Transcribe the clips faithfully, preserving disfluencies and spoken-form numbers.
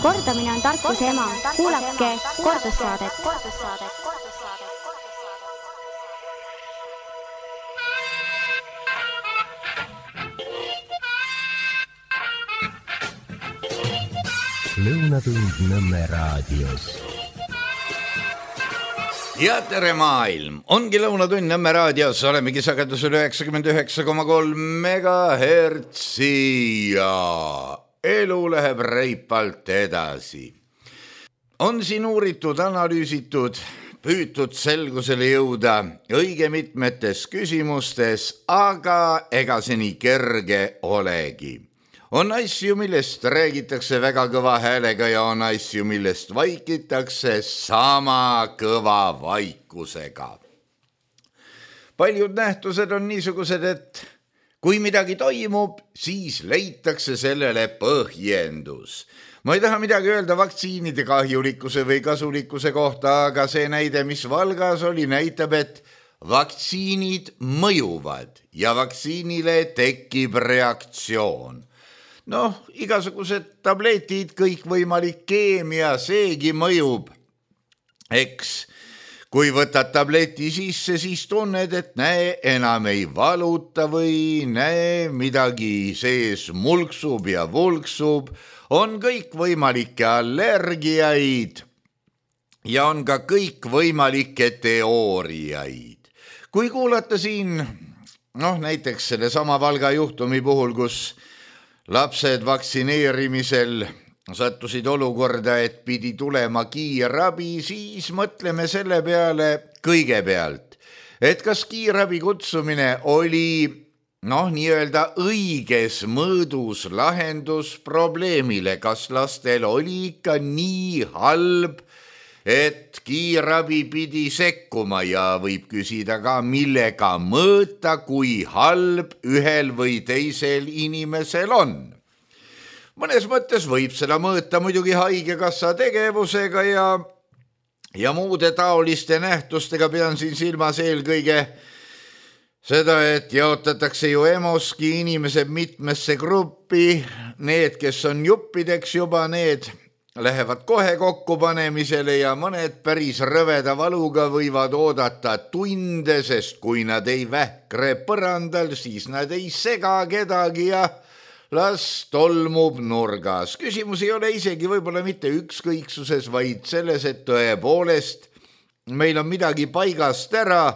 Kordamine on tarkuse ema. Kuulake kordussaadet. Lõunatund Nõmme raadios. Ja tere maailm! Ongi Lõunatund Nõmme raadios. Olemegi sagedusel üheksakümmend üheksa koma kolm megahertsi ja elu läheb reipalt edasi. On siin uuritud, analüüsitud, püütud selgusele jõuda õige mitmetes küsimustes, aga ega see nii kerge olegi. On asju, millest räägitakse väga kõva häälega ja on asju, millest vaikitakse sama kõva vaikusega. Paljud nähtused on niisugused, et kui midagi toimub, siis leitakse sellele põhjendus. Ma ei taha midagi öelda vaktsiinide kahjulikkuse või kasulikkuse kohta, aga see näide, mis Valgas oli, näitab, et vaktsiinid mõjuvad ja vaktsiinile tekib reaktsioon. Noh, igasugused tabletid, kõik võimalik keemia, seegi mõjub. Eks, kui võtad tableti sisse, siis tunned, et näe, enam ei valuta või näe, midagi sees mulksub ja vulksub. On kõik võimalikke allergiaid ja on ka kõik võimalikke teooriaid. Kui kuulata siin, noh, näiteks selle sama Valga juhtumi puhul, kus lapsed vaktsineerimisel sattusid olukorda, et pidi tulema kiirabi, siis mõtleme selle peale kõigepealt, et kas kiirabi kutsumine oli, noh, nii-öelda õiges mõõdus lahendus probleemile, kas lastel oli ikka nii halb, et kiirabi pidi sekkuma ja võib küsida ka, millega mõõta, kui halb ühel või teisel inimesel on. Mõnes mõttes võib seda mõõta muidugi haigekassa tegevusega ja, ja muude taoliste nähtustega. Pean siin silmas eelkõige seda, et jaotatakse ju EMOSki inimesed mitmesse gruppi. Need, kes on juppideks juba, need lähevad kohe kokkupanemisele ja mõned päris rõveda valuga võivad oodata tunde, sest kui nad ei vähkre põrandal, siis nad ei sega kedagi ja las tolmub nurgas. Küsimus ei ole isegi võib-olla mitte ükskõiksuses, vaid selles, et tõepoolest meil on midagi paigast ära,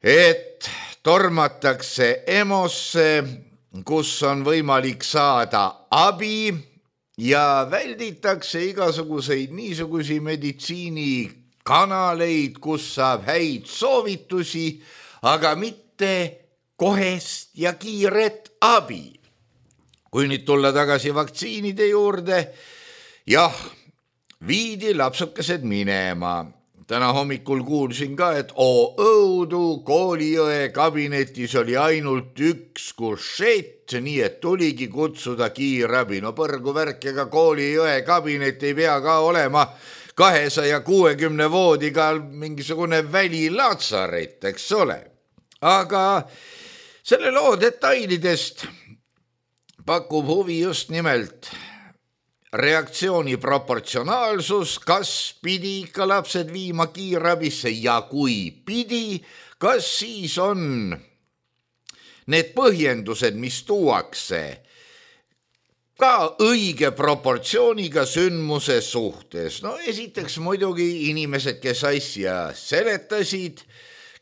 et tormatakse EMOsse, kus on võimalik saada abi, ja välditakse igasuguseid niisugusi meditsiinikanaleid, kus saab häid soovitusi, aga mitte kohest ja kiiret abi. Kui nüüd tulla tagasi vaktsiinide juurde, jah, viidi lapsukesed minema. Täna hommikul kuulsin ka, et oo õudu, Koolijõe kabinetis oli ainult üks kušett, nii et tuligi kutsuda kiirabi. No põrgu värk, ega Koolijõe kabinet ei pea ka olema kahesaja kuuekümne voodiga mingisugune välilatsaret, eks ole. Aga selle loo detailidest pakub huvi just nimelt reaktsiooni proportsionaalsus, kas pidi ikka lapsed viima kiirabisse ja kui pidi, kas siis on need põhjendused, mis tuuakse ka õige proportsiooniga sündmuse suhtes. No esiteks muidugi inimesed, kes asja seletasid,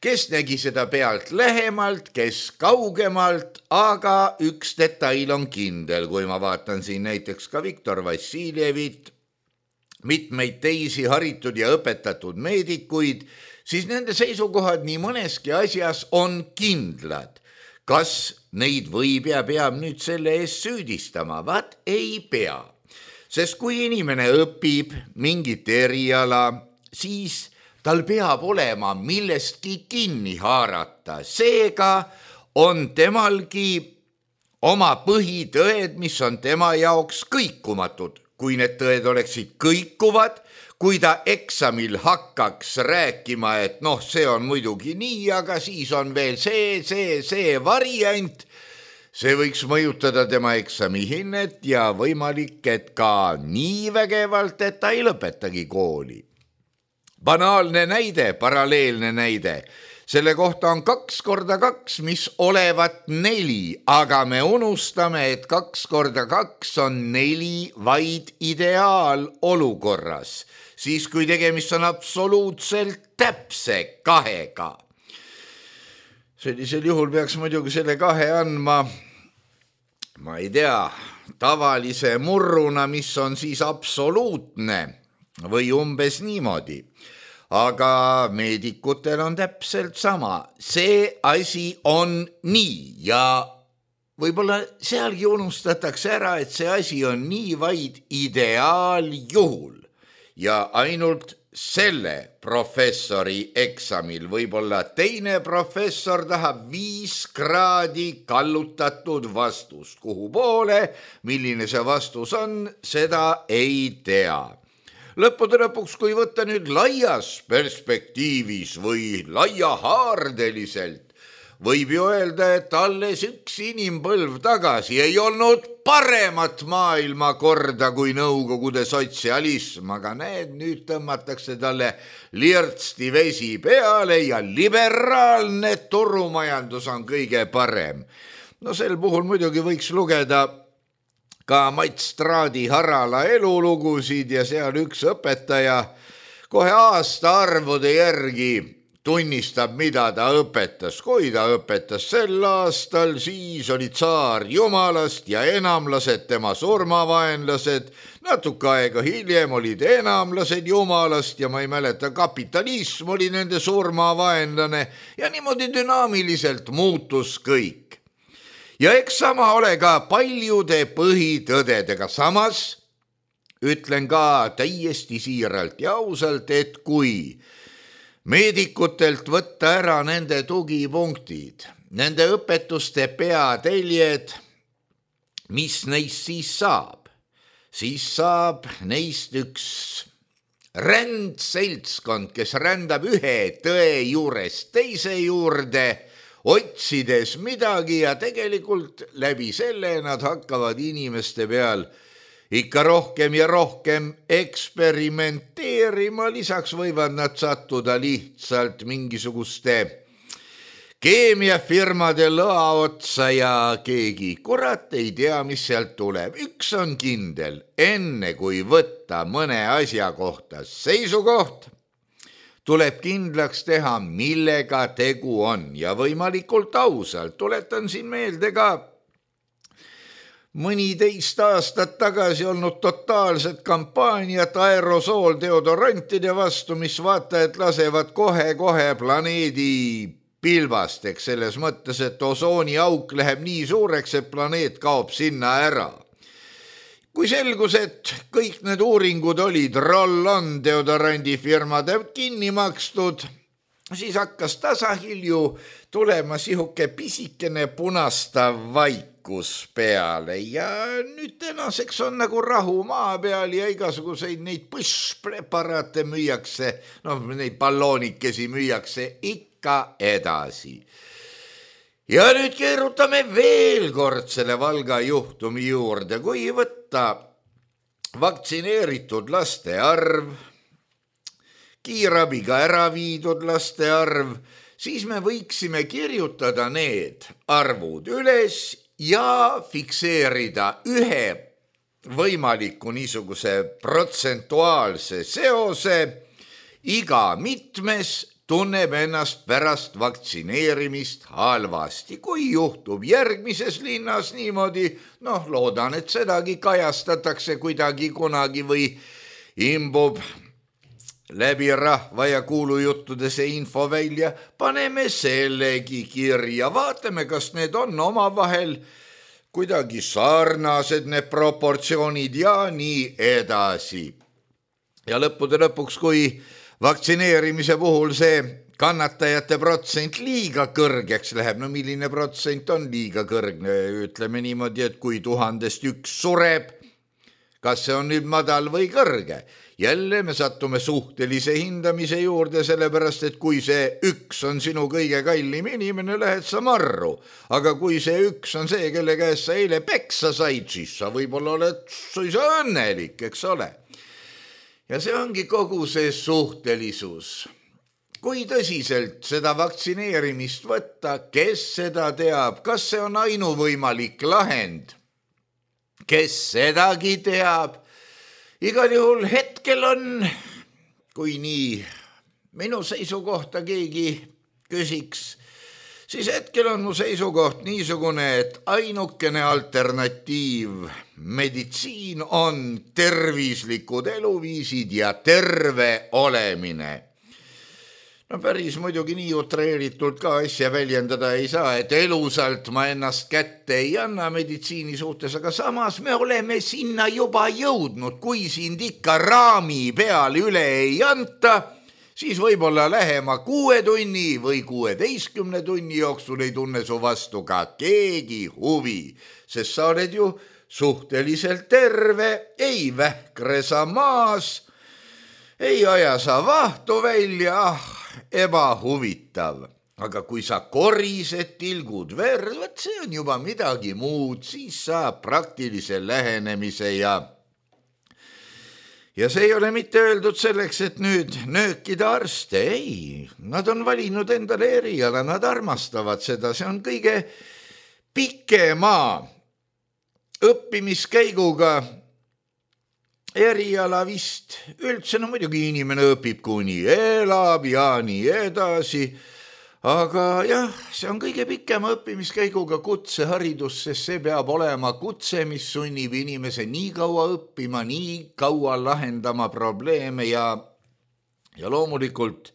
kes nägi seda pealt lähemalt, kes kaugemalt, aga üks detail on kindel, kui ma vaatan siin näiteks ka Viktor Vassiljevit, mitmeid teisi haritud ja õpetatud meedikuid, siis nende seisukohad nii mõneski asjas on kindlad. Kas neid võib ja peab nüüd selle eest süüdistama? Vaat ei pea. Sest kui inimene õpib mingit eriala, siis tal peab olema millestki kinni haarata. Seega on temalgi oma põhitõed, mis on tema jaoks kõikumatud. Kui need tõed oleksid kõikuvad, kui ta eksamil hakkaks rääkima, et noh, see on muidugi nii, aga siis on veel see, see, see variant, See võiks mõjutada tema eksamihinnet ja võimalik, et ka nii vägevalt, et ta ei lõpetagi kooli. Banaalne näide, paralleelne näide. Selle kohta on kaks korda kaks, mis olevat neli, aga me unustame, et kaks korda kaks on neli vaid ideaalolukorras, siis kui tegemist on absoluutselt täpse kahega. Sellisel juhul peaks muidugi selle kahe andma, ma ei tea, tavalise murruna, mis on siis absoluutne või umbes niimoodi. Aga meedikutel on täpselt sama. See asi on nii ja võib-olla sealgi unustatakse ära, et see asi on nii vaid ideaaljuhul ja ainult selle professori eksamil võib-olla teine professor tahab viis kraadi kallutatud vastust. Kuhu poole, milline see vastus on, seda ei tea. Lõppude lõpuks, kui võtta nüüd laias perspektiivis või laiahaardeliselt, võib ju öelda, et alles üks inimpõlv tagasi ei olnud paremat maailmakorda kui Nõukogude sotsialism, aga näed, nüüd tõmmatakse talle lirtsti vesi peale ja liberaalne turumajandus on kõige parem. No sel puhul muidugi võiks lugeda ka Mats Straadi Harala elulugusid ja seal üks õpetaja kohe aasta arvude järgi tunnistab, mida ta õpetas. Kui ta õpetas sel aastal, siis oli tsaar jumalast ja enamlased tema surmavaenlased. Natuke aega hiljem olid enamlased jumalast ja ma ei mäleta, kapitalism oli nende surmavaenlane ja niimoodi dünaamiliselt muutus kõik. Ja eks sama ole ka paljude põhitõdedega. Samas ütlen ka täiesti siiralt ja ausalt, et kui meedikutelt võtta ära nende tugipunktid, nende õpetuste peateljed, mis neist siis saab? Siis saab neist üks rändseltskond, kes rändab ühe tõe juurest teise juurde, otsides midagi ja tegelikult läbi selle nad hakkavad inimeste peal ikka rohkem ja rohkem eksperimenteerima, lisaks võivad nad sattuda lihtsalt mingisuguste keemiafirmade lõa otsa ja keegi kurat ei tea, mis sealt tuleb. Üks on kindel, enne kui võtta mõne asja kohta seisukoht, tuleb kindlaks teha, millega tegu on ja võimalikult ausalt. Tuletan siin meelde ka mõni teist aastat tagasi olnud totaalset kampaaniat aerosool deodorantide vastu, mis vaatajad lasevad kohe-kohe planeedi pilbasteks, selles mõttes, et osooni auk läheb nii suureks, et planeet kaob sinna ära. Kui selgus, et kõik need uuringud olid roll-on deodorandifirmade kinni makstud, siis hakkas tasahilju tulema sihuke pisikene punastav vaikus peale ja nüüd tänaseks on nagu rahu maa peal ja igasuguseid neid põsspreparaate müüakse, noh, neid balloonikesi müüakse ikka edasi. Ja nüüd keerutame veel kord selle Valga juhtumi juurde, kui võtta vaktsineeritud laste arv, kiirabiga ära viidud laste arv, siis me võiksime kirjutada need arvud üles ja fikseerida ühe võimaliku niisuguse protsentuaalse seose. Iga mitmes tunneb ennast pärast vaktsineerimist halvasti. Kui juhtub järgmises linnas niimoodi, noh, loodan, et sedagi kajastatakse kuidagi kunagi või imbub läbi rahva ja kuulujuttude see info välja, paneme sellegi kirja, vaatame, kas need on omavahel kuidagi sarnased, need proportsioonid ja nii edasi. Ja lõppude lõpuks, kui vaktsineerimise puhul see kannatajate protsent liiga kõrgeks läheb, no milline protsent on liiga kõrgne, ütleme niimoodi, et kui tuhandest üks sureb, kas see on nüüd madal või kõrge. Jälle me sattume suhtelise hindamise juurde, sellepärast, et kui see üks on sinu kõige kallim inimene, lähed sa marru. Aga kui see üks on see, kelle käest sa eile peksa said, siis sa võib-olla oled suisa õnnelik, eks ole. Ja see ongi kogu see suhtelisus. Kui tõsiselt seda vaktsineerimist võtta, kes seda teab, kas see on ainuvõimalik lahend, kes sedagi teab. Igal juhul hetkel on, kui nii minu seisukohta keegi küsiks, siis hetkel on mu seisukoht niisugune, et ainukene alternatiiv meditsiin on tervislikud eluviisid ja terve olemine. No päris muidugi nii utreeritult ka asja väljendada ei saa, et elusalt ma ennast kätte ei anna meditsiini suhtes, aga samas me oleme sinna juba jõudnud, kui sind ikka raami peal üle ei anta, siis võib-olla lähema kuue tunni või kuueteistkümne tunni jooksul ei tunne su vastu ka keegi huvi, sest sa oled ju suhteliselt terve, ei vähkre sa maas, ei aja sa vahtu välja, ah, ebahuvitav. Aga kui sa korised, tilgud verd, võt see on juba midagi muud, siis saab praktilise lähenemise ja ja see ei ole mitte öeldud selleks, et nüüd nöökida arste, ei, nad on valinud endale eriala, nad armastavad seda, see on kõige pikema õppimiskäiguga eriala vist üldse, no muidugi inimene õpib kuni elab ja nii edasi, aga jah, see on kõige pikema õppimiskäiguga kutseharidus, sest see peab olema kutse, mis sunnib inimese nii kaua õppima, nii kaua lahendama probleeme ja, ja loomulikult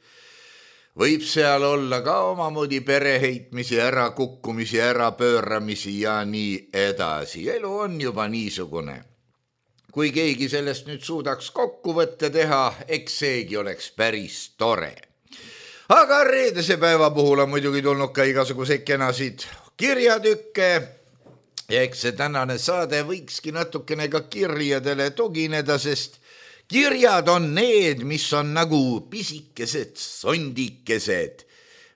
võib seal olla ka omamoodi pereheitmisi, ärakukkumisi, ärapööramisi ja nii edasi. Elu on juba niisugune. Kui keegi sellest nüüd suudaks kokkuvõtte teha, eks seegi oleks päris tore. Aga reedese päeva puhul on muidugi tulnud ka igasuguseid kenasid kirjatükke. Ja eks see tänane saade võikski natukene ka kirjadele tugineda, sest kirjad on need, mis on nagu pisikesed sondikesed,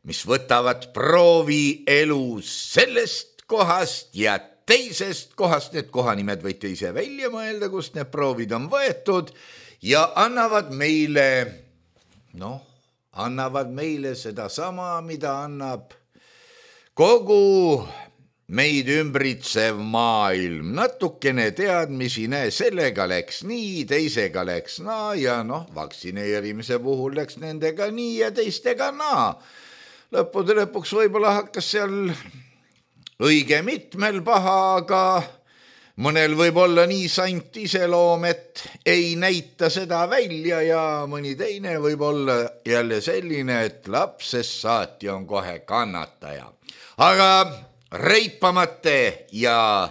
mis võtavad proovi elus sellest kohast ja teisest kohast, need kohanimed võite ise välja mõelda, kust need proovid on võetud ja annavad meile, noh, annavad meile seda sama, mida annab kogu meid ümbritsev maailm. Natukene teadmisi, näe, sellega läks nii, teisega läks naa ja noh, vaktsineerimise puhul läks nendega nii ja teistega naa. Lõppude lõpuks võib-olla hakkas seal õige mitmel paha, aga mõnel võib olla nii sant iseloom, et ei näita seda välja ja mõni teine võib olla jälle selline, et lapsest saati on kohe kannataja. Aga reipamate ja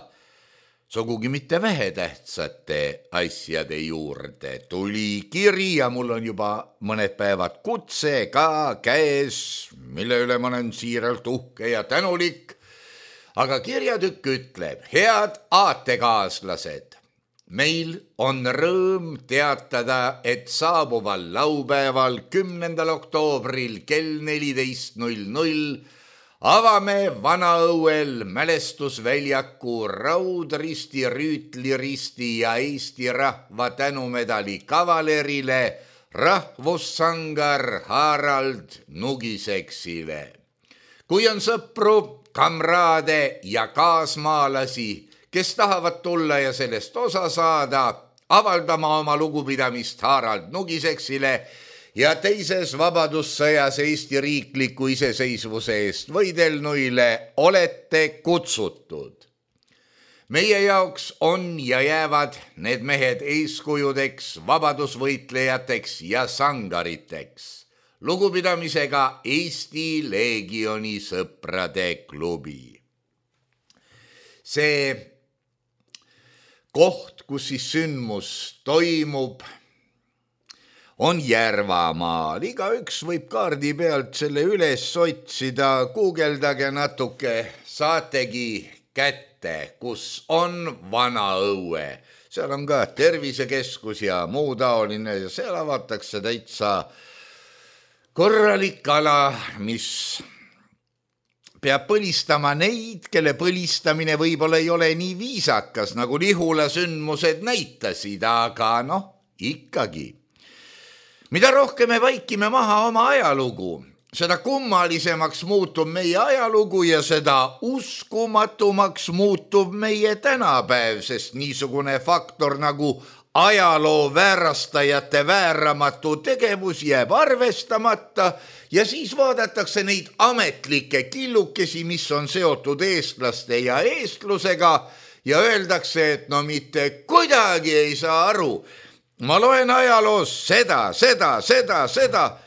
sugugi mitte vähetähtsate asjade juurde tuli kiri ja mul on juba mõned päevad kutse ka käes, mille üle ma olen siiralt uhke ja tänulik. Aga kirjatükk ütleb, head aatekaaslased, meil on rõõm teatada, et saabuval laupäeval kümnendal oktoobril kell neliteist null null avame Vanaõuel mälestusväljaku Raudristi, Rüütliristi ja Eesti rahva tänumedali kavalerile rahvussangar Harald Nugiseksile. Kui on sõpru, kamraade ja kaasmaalasi, kes tahavad tulla ja sellest osa saada, avaldama oma lugupidamist Harald Nugiseksile ja teises vabadussõjas Eesti riikliku iseseisvuse eest võidelnuile olete kutsutud. Meie jaoks on ja jäävad need mehed eeskujudeks, vabadusvõitlejateks ja sangariteks. Lugupidamisega Eesti Leegioni sõprade klubi. See koht, kus siis sündmus toimub, on Järvamaal. Igaüks võib kaardi pealt selle üles otsida, guugeldage natuke, saategi kätte. ette, kus on Vana-Õue. Seal on ka tervisekeskus ja muu taoline ja seal avatakse täitsa korralik ala, mis peab põlistama neid, kelle põlistamine võib-olla ei ole nii viisakas, nagu Lihula sündmused näitasid, aga noh, ikkagi. Mida rohkem me vaikime maha oma ajalugu, seda kummalisemaks muutub meie ajalugu ja seda uskumatumaks muutub meie tänapäev, sest niisugune faktor nagu ajaloo väärastajate vääramatu tegevus jääb arvestamata ja siis vaadatakse neid ametlikke killukesi, mis on seotud eestlaste ja eestlusega ja öeldakse, et no mitte kuidagi ei saa aru. Ma loen ajaloos seda, seda, seda, seda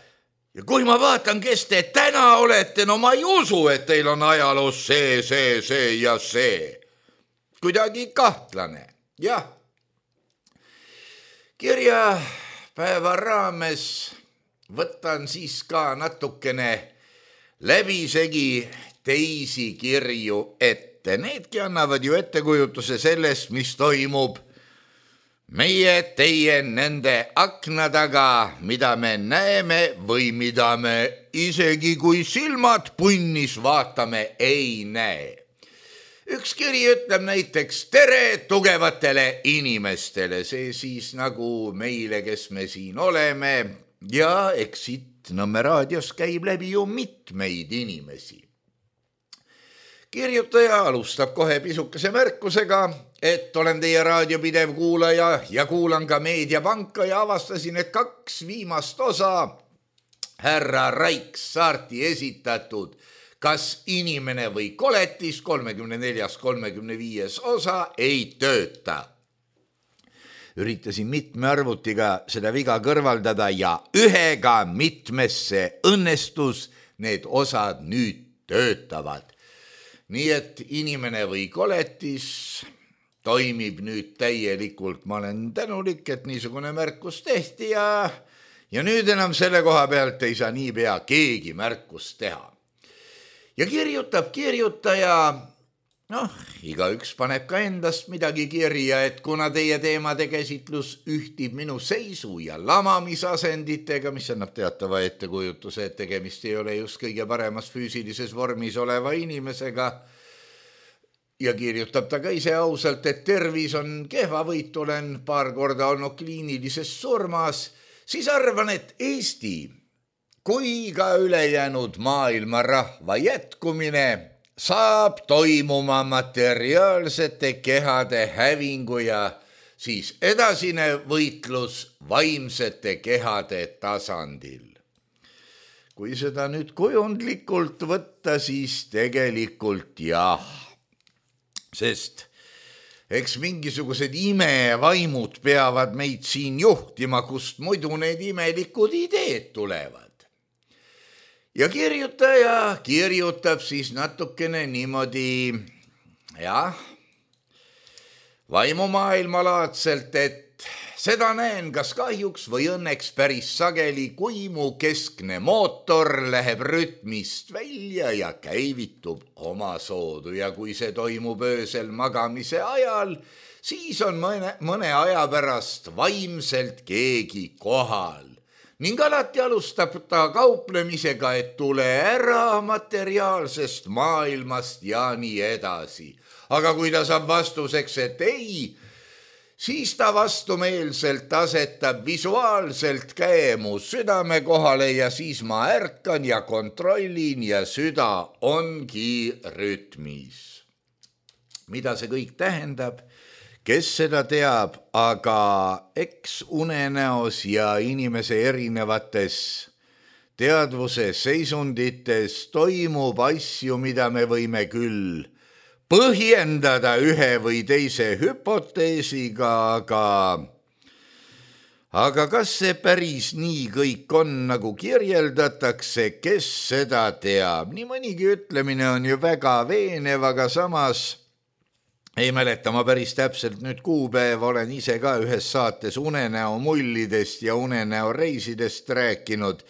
ja kui ma vaatan, kes te täna olete, no ma ei usu, et teil on ajaloos see, see, see ja see. Kuidagi kahtlane, jah. Kirjapäeva raames võtan siis ka natukene läbisegi teisi kirju ette. Needki annavad ju ettekujutuse sellest, mis toimub meie, teie, nende akna taga, mida me näeme või mida me isegi kui silmad punnis vaatame ei näe. Üks kiri ütleb näiteks tere tugevatele inimestele, see siis nagu meile, kes me siin oleme ja eks siit Nõmme raadios käib läbi ju mitmeid inimesi. Kirjutaja alustab kohe pisukese märkusega, et olen teie raadiopidev kuulaja ja kuulan ka Meediapanka ja avastasin, et kaks viimast osa härra Raik Saarti esitatud Kas inimene või koletis kolmekümne neljas kolmekümne viies osa ei tööta. Üritasin mitme arvutiga seda viga kõrvaldada ja ühega mitmesse õnnestus need osad nüüd töötavad. Nii et inimene või koletis toimib nüüd täielikult. Ma olen tänulik, et niisugune märkus tehti ja, ja nüüd enam selle koha pealt ei saa niipea keegi märkust teha. Ja kirjutab kirjutaja, noh, igaüks paneb ka endast midagi kirja, et kuna teie teemade käsitlus ühtib minu seisu ja lamamisasenditega, mis annab teatava ettekujutuse, et tegemist ei ole just kõige paremas füüsilises vormis oleva inimesega, ja kirjutab ta ka ise ausalt, et tervis on kehvavõit, olen paar korda olnud kliinilises surmas, siis arvan, et Eesti kui ka ülejäänud maailma rahva jätkumine saab toimuma materiaalsete kehade hävingu ja siis edasine võitlus vaimsete kehade tasandil. Kui seda nüüd kujundlikult võtta, siis tegelikult jah, sest eks mingisugused imevaimud peavad meid siin juhtima, kust muidu need imelikud ideed tulevad. Ja kirjutaja kirjutab siis natukene niimoodi, jah, vaimumaailmalaadselt, et seda näen kas kahjuks või õnneks päris sageli, kui mu keskne mootor läheb rütmist välja ja käivitub oma soodu ja kui see toimub öösel magamise ajal, siis on mõne, mõne aja pärast vaimselt keegi kohal. Ning alati alustab ta kauplemisega, et tule ära materiaalsest maailmast ja nii edasi. Aga kui ta saab vastuseks, et ei, siis ta vastumeelselt asetab visuaalselt käe mu südame kohale ja siis ma ärkan ja kontrollin ja süda ongi rütmis. Mida see kõik tähendab? Kes seda teab, aga eks unenäos ja inimese erinevates teadvuse seisundites toimub asju, mida me võime küll põhjendada ühe või teise hüpoteesiga, aga, aga kas see päris nii kõik on, nagu kirjeldatakse, kes seda teab? Nii mõnigi ütlemine on ju väga veenev, aga samas ei mäleta ma päris täpselt nüüd kuupäev, olen ise ka ühes saates unenäo mullidest ja unenäo reisidest rääkinud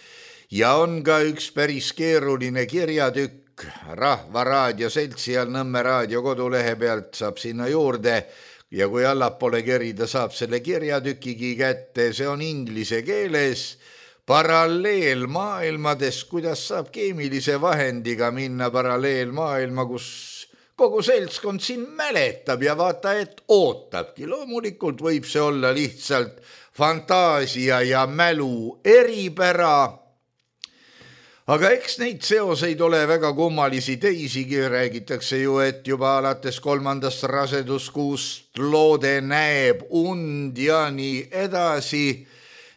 ja on ka üks päris keeruline kirjatükk tükk Rahva Raadio seltsi all Nõmme raadio kodulehe pealt saab sinna juurde ja kui allapoole kerida, saab selle kirjatükigi kätte, see on inglise keeles paralleelmaailmades, kuidas saab keemilise vahendiga minna paralleelmaailma, kus kogu seltskond siin mäletab ja vaata, et ootabki. Loomulikult võib see olla lihtsalt fantaasia ja mälu eripära, aga eks neid seoseid ole väga kummalisi teisigi. Räägitakse ju, et juba alates kolmandast raseduskuust loode näeb und ja nii edasi.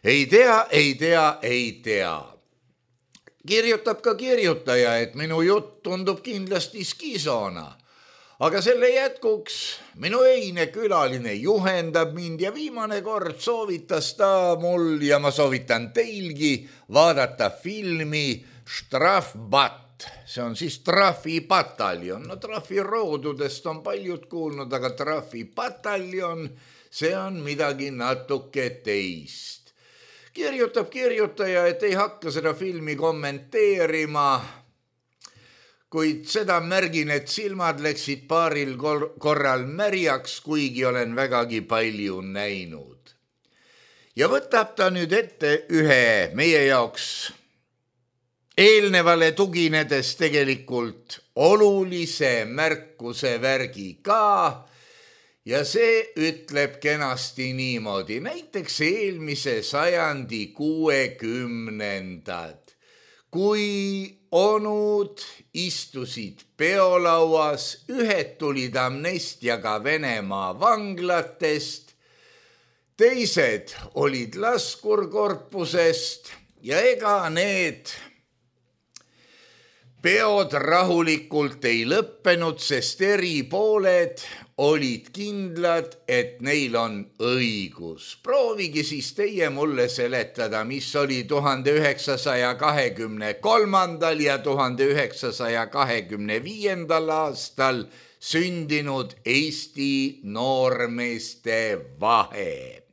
Ei tea, ei tea, ei tea. Kirjutab ka kirjutaja, et minu jutt tundub kindlasti skisona. Aga selle jätkuks minu eine külaline juhendab mind ja viimane kord soovitas ta mul ja ma soovitan teilgi vaadata filmi Strafbat. See on siis trafipataljon. No trafiroodudest on paljud kuulnud, aga trafipataljon, see on midagi natuke teist. Kirjutab kirjutaja, et ei hakka seda filmi kommenteerima, kuid seda märgin, et silmad läksid paaril korral märjaks, kuigi olen vägagi palju näinud. Ja võtab ta nüüd ette ühe meie jaoks eelnevale tuginedes tegelikult olulise märkuse värgi ka, ja see ütleb kenasti niimoodi. Näiteks eelmise sajandi kuuekümnendad, kui onud istusid peolauas, ühed tulid amnestiaga Venemaa vanglatest, teised olid laskurkorpusest ja ega need peod rahulikult ei lõppenud, sest eri pooled olid kindlad, et neil on õigus. Proovige siis teie mulle seletada, mis oli tuhande üheksasaja kahekümne kolmandal ja tuhande üheksasaja kahekümne viiendal aastal sündinud Eesti noormeeste vahe.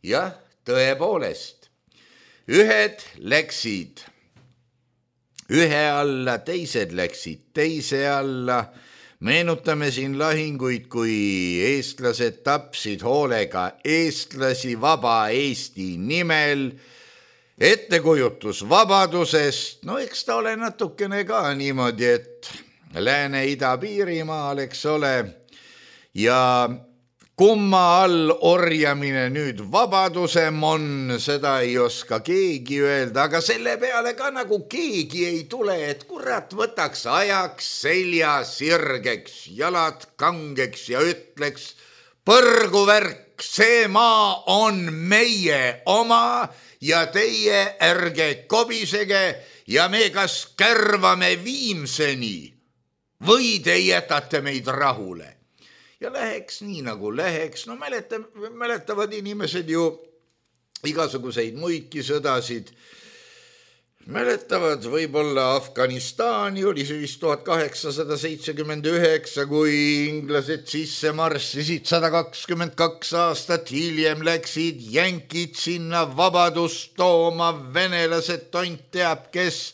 Jah, tõepoolest, ühed läksid ühe alla, teised läksid teise alla. Meenutame siin lahinguid, kui eestlased tapsid hoolega eestlasi vaba Eesti nimel. Ettekujutus vabadusest, no eks ta ole natukene ka niimoodi, et Lääne-Ida-Piirimaal, eks ole, ja kumma all orjamine nüüd vabadusem on, seda ei oska keegi öelda, aga selle peale ka nagu keegi ei tule, et kurat võtaks ajaks selja sirgeks, jalad kangeks ja ütleks, põrguvärk, see maa on meie oma ja teie ärge kobisege ja me kas kärvame Viimseni või te jätate meid rahule. Ja läheks nii nagu läheks, no mäleta, mäletavad inimesed ju igasuguseid muidki sõdasid. Mäletavad võib-olla Afganistani, oli see vist tuhat kaheksasada seitsekümmend üheksa, kui inglased sisse marssisid sada kakskümmend kaks aastat hiljem läksid jänkid sinna vabadust tooma, venelased tont teab kes.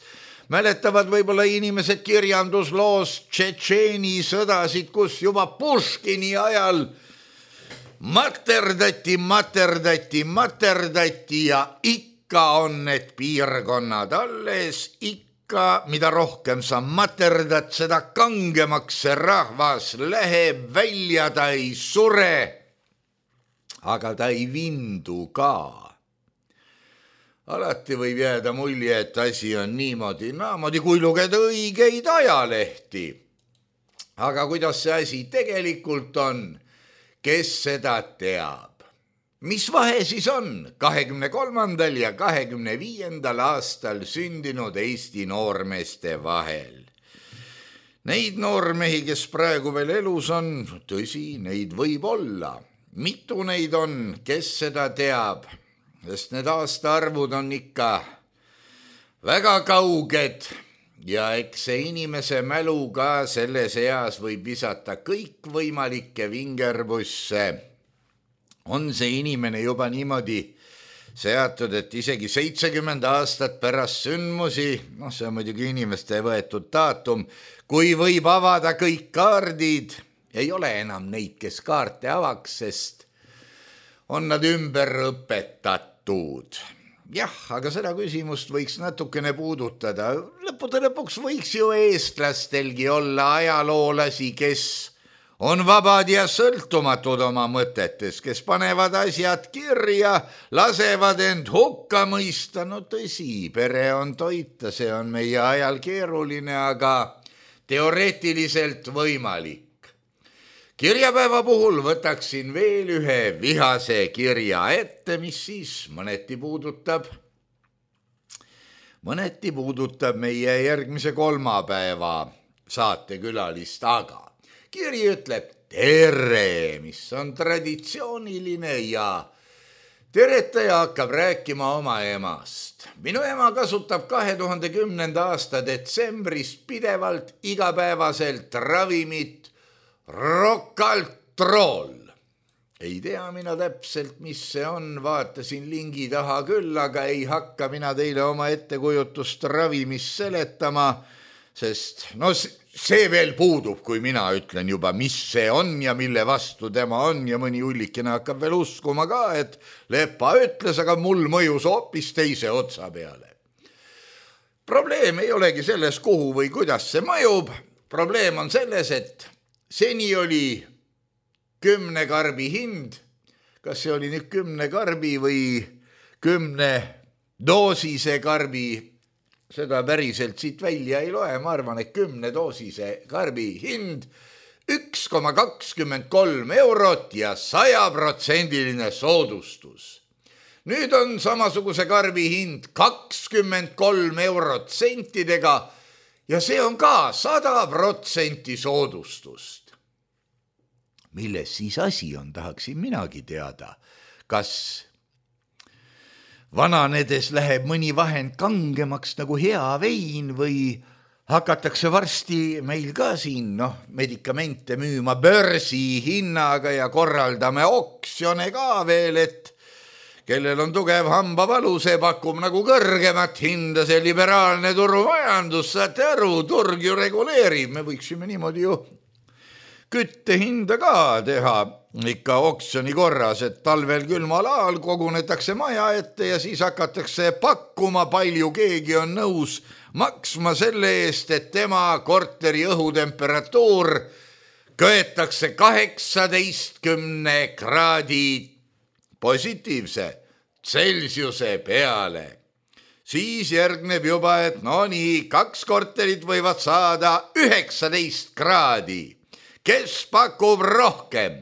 Mäletavad võib-olla inimesed kirjandusloos Tšetšeeni sõdasid, kus juba Puškini ajal materdati, materdati, materdati ja ikka on need piirkonnad alles, ikka mida rohkem sa materdad, seda kangemaks see rahvas läheb, välja ta ei sure, aga ta ei vindu ka. Alati võib jääda mulje, et asi on niimoodi, naamoodi kui lugeda õigeid ajalehti. Aga kuidas see asi tegelikult on, kes seda teab? Mis vahe siis on kahekümne kolmandal ja kahekümne viiendal aastal sündinud Eesti noormeeste vahel? Neid noormehi, kes praegu veel elus on, tõsi, neid võib olla. Mitu neid on, kes seda teab? Sest need aastaarvud on ikka väga kauged ja eks see inimese mälu ka selles eas võib visata kõikvõimalikke vingerbusse. On see inimene juba niimoodi seatud, et isegi seitsekümmend aastat pärast sündmusi, noh see on muidugi inimeste võetud daatum, kui võib avada kõik kaardid, ei ole enam neid, kes kaarte avaks, sest on nad ümber õpetatud. Jah, aga seda küsimust võiks natukene puudutada. Lõppude lõpuks võiks ju eestlastelgi olla ajaloolasi, kes on vabad ja sõltumatud oma mõtetes, kes panevad asjad kirja, lasevad end hukka mõista. No tõsi, pere on toita, see on meie ajal keeruline, aga teoreetiliselt võimalik. Kirjapäeva puhul võtaksin veel ühe vihase kirja ette, mis siis mõneti puudutab, mõneti puudutab meie järgmise kolmapäeva saatekülalist, aga kiri ütleb tere, mis on traditsiooniline ja teretaja hakkab rääkima oma emast. Minu ema kasutab kahe tuhande kümnenda aasta detsembris pidevalt igapäevaselt ravimit Rokaltrool. Ei tea mina täpselt, mis see on, vaatasin lingi taha küll, aga ei hakka mina teile oma ettekujutust ravimist seletama, sest no see veel puudub, kui mina ütlen juba, mis see on ja mille vastu tema on ja mõni ullikene hakkab veel uskuma ka, et Lepa ütles, aga mul mõjus hoopis teise otsa peale. Probleem ei olegi selles, kuhu või kuidas see mõjub. Probleem on selles, et seni oli kümne karbi hind, kas see oli nüüd kümne karbi või kümne doosise karbi, seda päriselt siit välja ei loe, ma arvan, et kümne doosise karbi hind üks koma kakskümmend kolm eurot ja sajaprotsendiline soodustus. Nüüd on samasuguse karbi hind kakskümmend kolm eurot sentidega ja see on ka sada protsenti soodustust. Milles siis asi on, tahaksin minagi teada. Kas vananedes läheb mõni vahend kangemaks nagu hea vein või hakatakse varsti meil ka siin noh, medikamente müüma börsi hinnaga ja korraldame oksjone ka veel, et kellel on tugev hambavalu, see pakub nagu kõrgemat hinda, see liberaalne turumajandus, saate aru, turg ju reguleerib, me võiksime niimoodi ju kütte hinda ka teha ikka oksjoni korras, et talvel külmal ajal kogunetakse maja ette ja siis hakatakse pakkuma, palju keegi on nõus maksma selle eest, et tema korteri õhutemperatuur köetakse kaheksateistkümne kraadi positiivse Celsiuse peale. Siis järgneb juba, et no nii, kaks korterit võivad saada üheksateist kraadi. Kes pakub rohkem?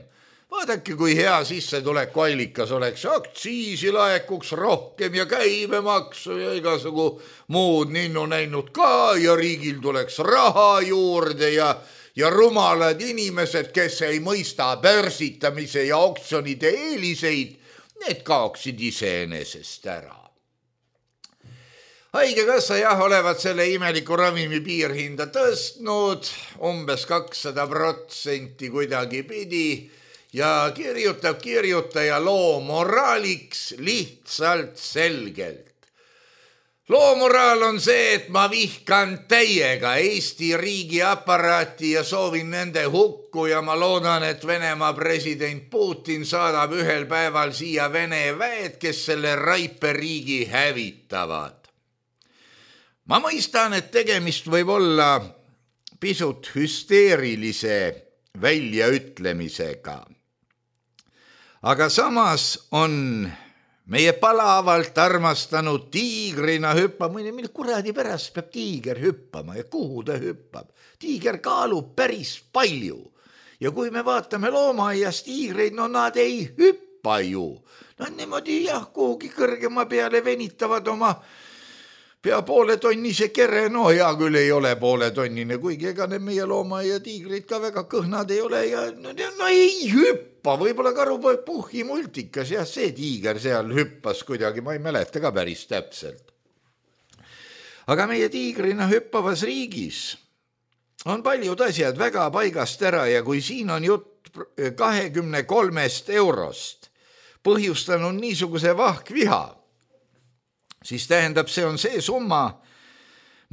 Vaadake, kui hea sissetuleku allikas oleks, aktsiisi laekuks rohkem ja käibemaksu ja igasugu muud ninnu näinud ka ja riigil tuleks raha juurde ja, ja rumalad inimesed, kes ei mõista börsitamise ja oksjonide eeliseid, need kaoksid iseenesest ära. Haigekassa jah, olevat selle imeliku ravimi piirhinda tõstnud umbes kakssada protsenti kuidagi pidi ja kirjutab kirjutaja loo moraaliks lihtsalt selgelt. Loo moraal on see, et ma vihkan täiega Eesti riigi aparaati ja soovin nende hukku ja ma loodan, et Venemaa president Putin saadab ühel päeval siia Vene väed, kes selle raipe riigi hävitavad. Ma mõistan, et tegemist võib olla pisut hüsteerilise väljaütlemisega. Aga samas on meie palavalt armastanud tiigrina hüppama, mille kuradi pärast peab tiiger hüppama ja kuhu ta hüppab. Tiiger kaalub päris palju ja kui me vaatame loomaaias tiigreid, no nad ei hüppa ju. Nad niimoodi jah, kuhugi kõrgema peale venitavad oma pea poole tonnise kere, no hea küll ei ole poole tonnine, kuigi ega need meie looma ja tiigrid ka väga kõhnad ei ole ja no, no ei hüppa, võib-olla Karupoeg Puhhi multikas, jah, see tiiger seal hüppas kuidagi, ma ei mäleta ka päris täpselt. Aga meie tiigrina hüppavas riigis on paljud asjad väga paigast ära ja kui siin on jutt kahekümne kolmest eurost põhjustanud niisuguse vahkviha, siis tähendab, see on see summa,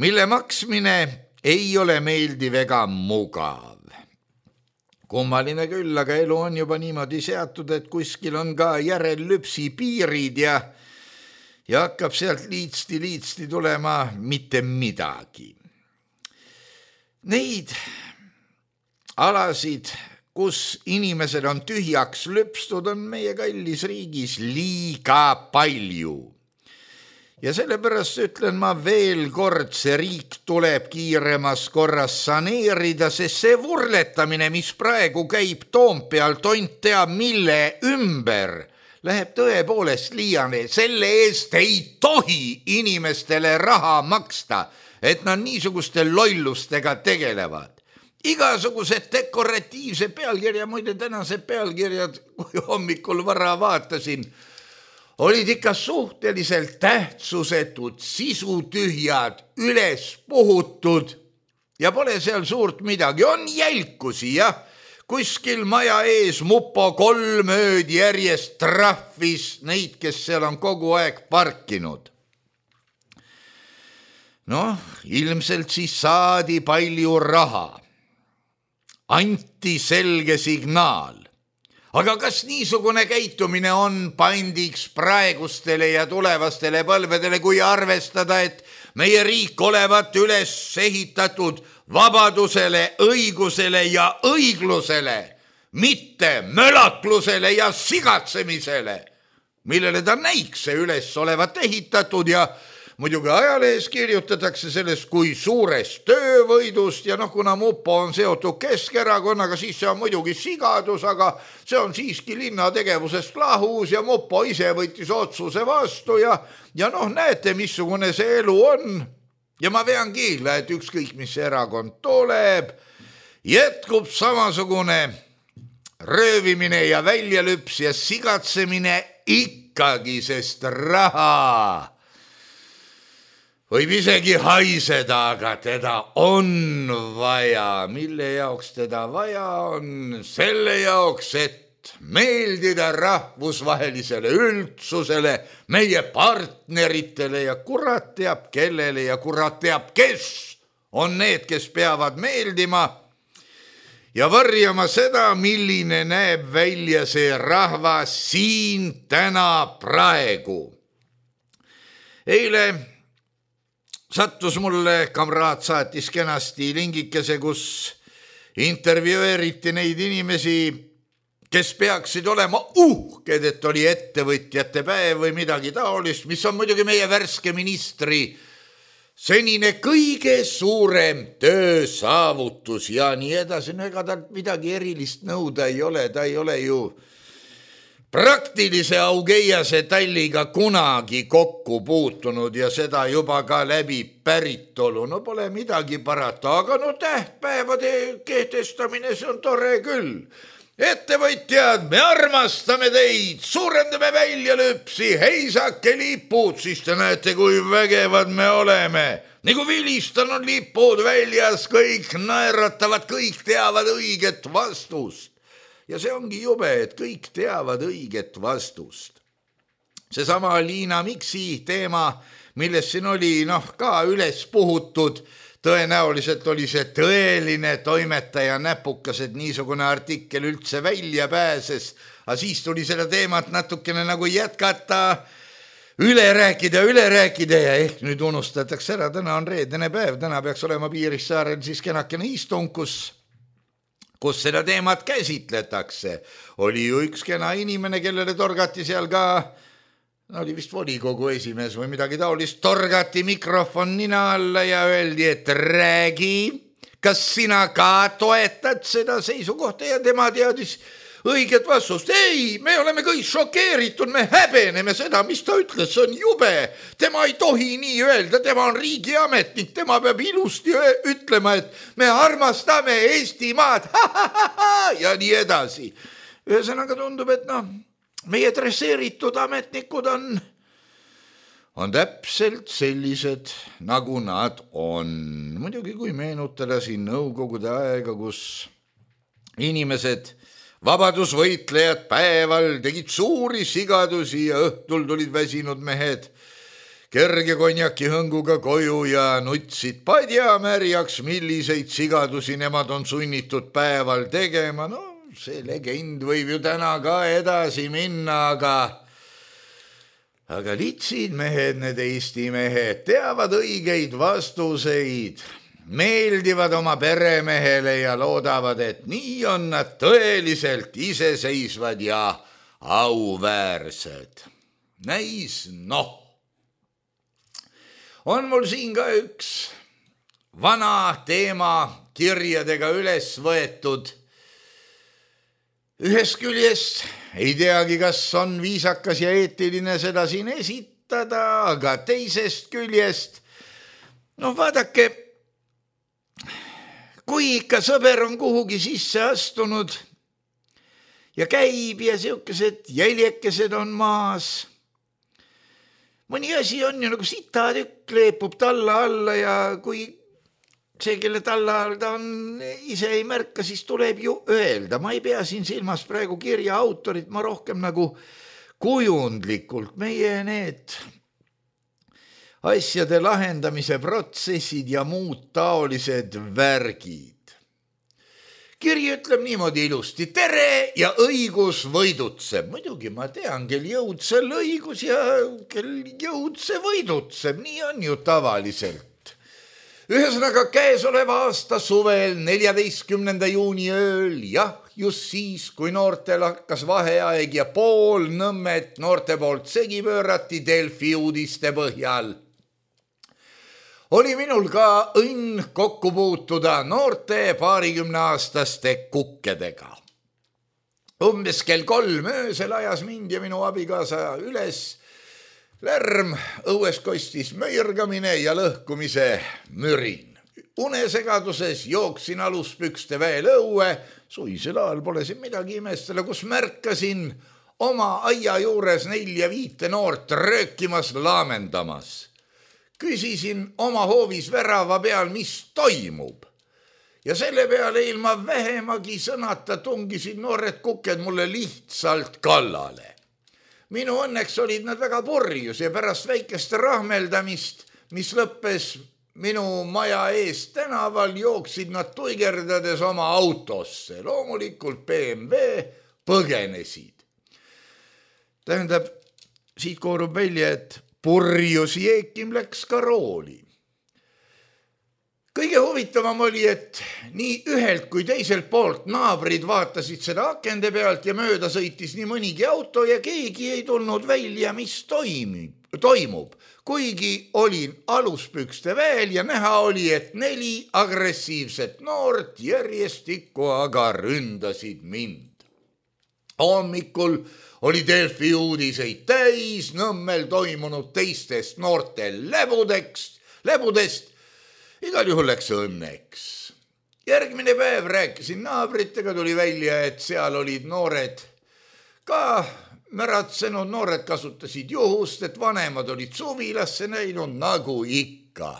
mille maksmine ei ole meeldiv ega mugav. Kummaline küll, aga elu on juba niimoodi seatud, et kuskil on ka järellüpsi piirid ja, ja hakkab sealt liitsti-liitsti tulema mitte midagi. Neid alasid, kus inimesed on tühjaks lüpstud, on meie kallis riigis liiga palju. Ja sellepärast ütlen ma veel kord, see riik tuleb kiiremas korras saneerida, sest see vurletamine, mis praegu käib Toompeal, tont teab mille ümber, läheb tõepoolest liiane. Selle eest ei tohi inimestele raha maksta, et nad niisuguste lollustega tegelevad. Igasugused dekoratiivse pealkirja, muide tänase pealkirjad, kui hommikul vara vaatasin, olid ikka suhteliselt tähtsusetud, sisutühjad, üles puhutud ja pole seal suurt midagi. On jälkusi, jah. Kuskil maja ees mupo kolm ööd järjest trahvis neid, kes seal on kogu aeg parkinud. Noh, ilmselt siis saadi palju raha. Anti selge signaal. Aga kas niisugune käitumine on pandiks praegustele ja tulevastele põlvedele, kui arvestada, et meie riik olevat üles ehitatud vabadusele, õigusele ja õiglusele, mitte mölaklusele ja sigatsemisele, millele ta näikse üles olevat ehitatud ja muidugi ajalehes kirjutatakse sellest kui suurest töövõidust ja noh, kuna mupo on seotud Keskerakonnaga, siis see on muidugi sigadus, aga see on siiski linna tegevusest lahus ja mupo ise võttis otsuse vastu ja, ja noh, näete, missugune see elu on. Ja ma vean kiila, et ükskõik, mis erakond tuleb, jätkub samasugune röövimine ja väljalüps ja sigatsemine ikkagi, sest raha võib isegi haiseda, aga teda on vaja. Mille jaoks teda vaja on? Selle jaoks, et meeldida rahvusvahelisele üldsusele, meie partneritele ja kurat teab kellele ja kurat teab, kes on need, kes peavad meeldima ja varjama seda, milline näeb välja see rahvas siin täna praegu. Eile sattus mulle, kamraad saatis kenasti lingikese, kus intervjueeriti neid inimesi, kes peaksid olema uhked, et oli ettevõtjate päev või midagi taolist, mis on muidugi meie värske ministri senine kõige suurem töösaavutus ja nii edasi. No ega ta midagi erilist nõuda ei ole, ta ei ole ju praktilise Augeiase talliga kunagi kokku puutunud ja seda juba ka läbi päritolu. No pole midagi parata, aga no tähtpäevade kehtestamine, see on tore küll. Ettevõtjad, me armastame teid, suurendame väljalüpsi, heisake lipud, siis te näete, kui vägevad me oleme. Nagu vilistan on lipud väljas, kõik naeratavad, kõik teavad õiget vastust. Ja see ongi jube, et kõik teavad õiget vastust. Seesama Liina Miksi teema, milles siin oli noh, ka üles puhutud, tõenäoliselt oli see tõeline toimetaja näpukas, et niisugune artikkel üldse välja pääses, aga siis tuli seda teemat natukene nagu jätkata, üle rääkida, üle rääkida ja ehk nüüd unustatakse ära, täna on reedene päev, täna peaks olema Piirissaarel siis kenakene istung, kus kus seda teemat käsitletakse. Oli ju üks kena inimene, kellele torgati seal ka, no oli vist volikogu esimees või midagi taolist, torgati mikrofon nina alla ja öeldi, et räägi, kas sina ka toetad seda seisukohta ja tema teadis õiget vastust. Ei, me oleme kõik šokeeritud, me häbeneme seda, mis ta ütles, see on jube. Tema ei tohi nii öelda, tema on riigiametnik, tema peab ilusti ütlema, et me armastame Eestimaad ja nii edasi. Ühesõnaga tundub, et noh, meie dresseeritud ametnikud on, on täpselt sellised, nagu nad on. Muidugi, kui meenutada siin nõukogude aega, kus inimesed vabadusvõitlejad päeval tegid suuri sigadusi ja õhtul tulid väsinud mehed kerge konjaki hõnguga koju ja nutsid padja märjaks, milliseid sigadusi nemad on sunnitud päeval tegema. No see legend võib ju täna ka edasi minna, aga aga litsid mehed, need Eesti mehed, teavad õigeid vastuseid, meeldivad oma peremehele ja loodavad, et nii on nad tõeliselt iseseisvad ja auväärsed. Näis, noh. On mul siin ka üks vana teema kirjadega üles võetud. Ühest küljest ei teagi, kas on viisakas ja eetiline seda siin esitada, aga teisest küljest, no vaadake, kui ikka sõber on kuhugi sisse astunud ja käib ja siukesed jäljekesed on maas, mõni asi on ju nagu sitatükk leepub talla alla ja kui see, kelle talla all ta on, ise ei märka, siis tuleb ju öelda. Ma ei pea siin silmas praegu kirja autorit, ma rohkem nagu kujundlikult meie need asjade lahendamise protsessid ja muud taolised värgid. Kiri ütleb niimoodi ilusti, tere ja õigus võidutseb. Muidugi ma tean, kel jõudsel õigus ja kel jõudse võidutseb, nii on ju tavaliselt. Ühesõnaga käesoleva aasta suvel neljateistkümnenda juuni ööl, jah, just siis, kui noortel hakkas vaheaeg ja pool Nõmmet noorte poolt segi pöörati Delfi uudiste põhjal, oli minul ka õnn kokku puutuda noorte paarikümneaastaste kukkedega. Umbes kell kolm öösel ajas mind ja minu abikaasa üles lärm, õues kostis möirgamine ja lõhkumise mürin. Unesegaduses jooksin aluspükste veel õue, suisel ajal pole siin midagi imestele, kus märkasin oma aia juures nelja viite noort röökimas, laamendamas. Küsisin oma hoovis värava peal, mis toimub. Ja selle peale ilma vähemagi sõnata tungisid noored kuked mulle lihtsalt kallale. Minu õnneks olid nad väga purjus ja pärast väikest rahmeldamist, mis lõppes minu maja ees tänaval, jooksid nad tuigerdades oma autosse. Loomulikult B M W põgenesid. Tähendab, siit koorub välja, et purjus Jeekim läks ka rooli. Kõige huvitavam oli, et nii ühelt kui teiselt poolt naabrid vaatasid seda akende pealt ja mööda sõitis nii mõnigi auto ja keegi ei tulnud välja, mis toimib, toimub. Kuigi olin aluspükste veel ja näha oli, et neli agressiivset noort järjestikku aga ründasid mind. Hommikul oli Delfi uudiseid täis Nõmmel toimunud teistest noorte lebudeks, lebudest. Igal juhul läks õnneks. Järgmine päev rääkisin naabritega, tuli välja, et seal olid noored ka märatsenud, noored kasutasid juhust, et vanemad olid suvilasse näinud nagu ikka.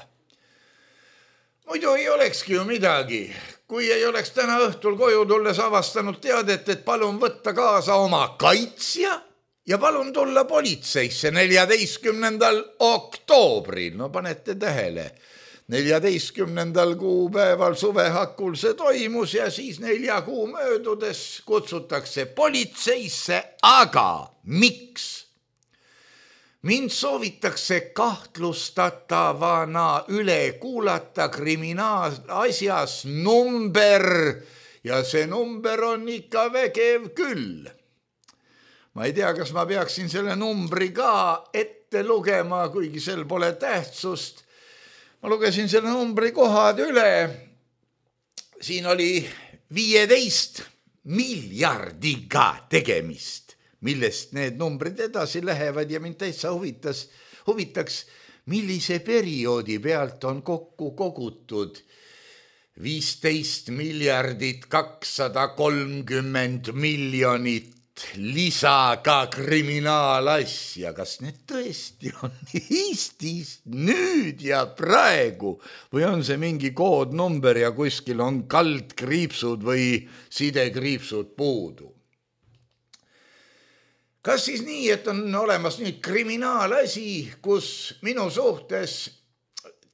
Muidu ei olekski ju midagi, kui ei oleks täna õhtul koju tulles avastanud teadet, et palun võtta kaasa oma kaitsja ja palun tulla politseisse neljateistkümnendal oktoobril. No panete tähele. neljateistkümnendal kuupäeval suvehakul see toimus ja siis nelja kuu möödudes kutsutakse politseisse, aga miks? Mind soovitakse kahtlustatavana üle kuulata kriminaalasjas number ja see number on ikka vägev küll. Ma ei tea, kas ma peaksin selle numbri ka ette lugema, kuigi sel pole tähtsust. Ma lugesin selle numbri kohad üle. Siin oli viieteist miljardiga tegemist, millest need numbrid edasi lähevad ja mind täitsa huvitas, huvitaks, millise perioodi pealt on kokku kogutud viisteist miljardit kakssada kolmkümmend miljonit lisaga kriminaalasja. Kas need tõesti on Eestis nüüd ja praegu või on see mingi koodnumber ja kuskil on kaldkriipsud või sidekriipsud puudu? Kas siis nii, et on olemas nüüd kriminaalasi, kus minu suhtes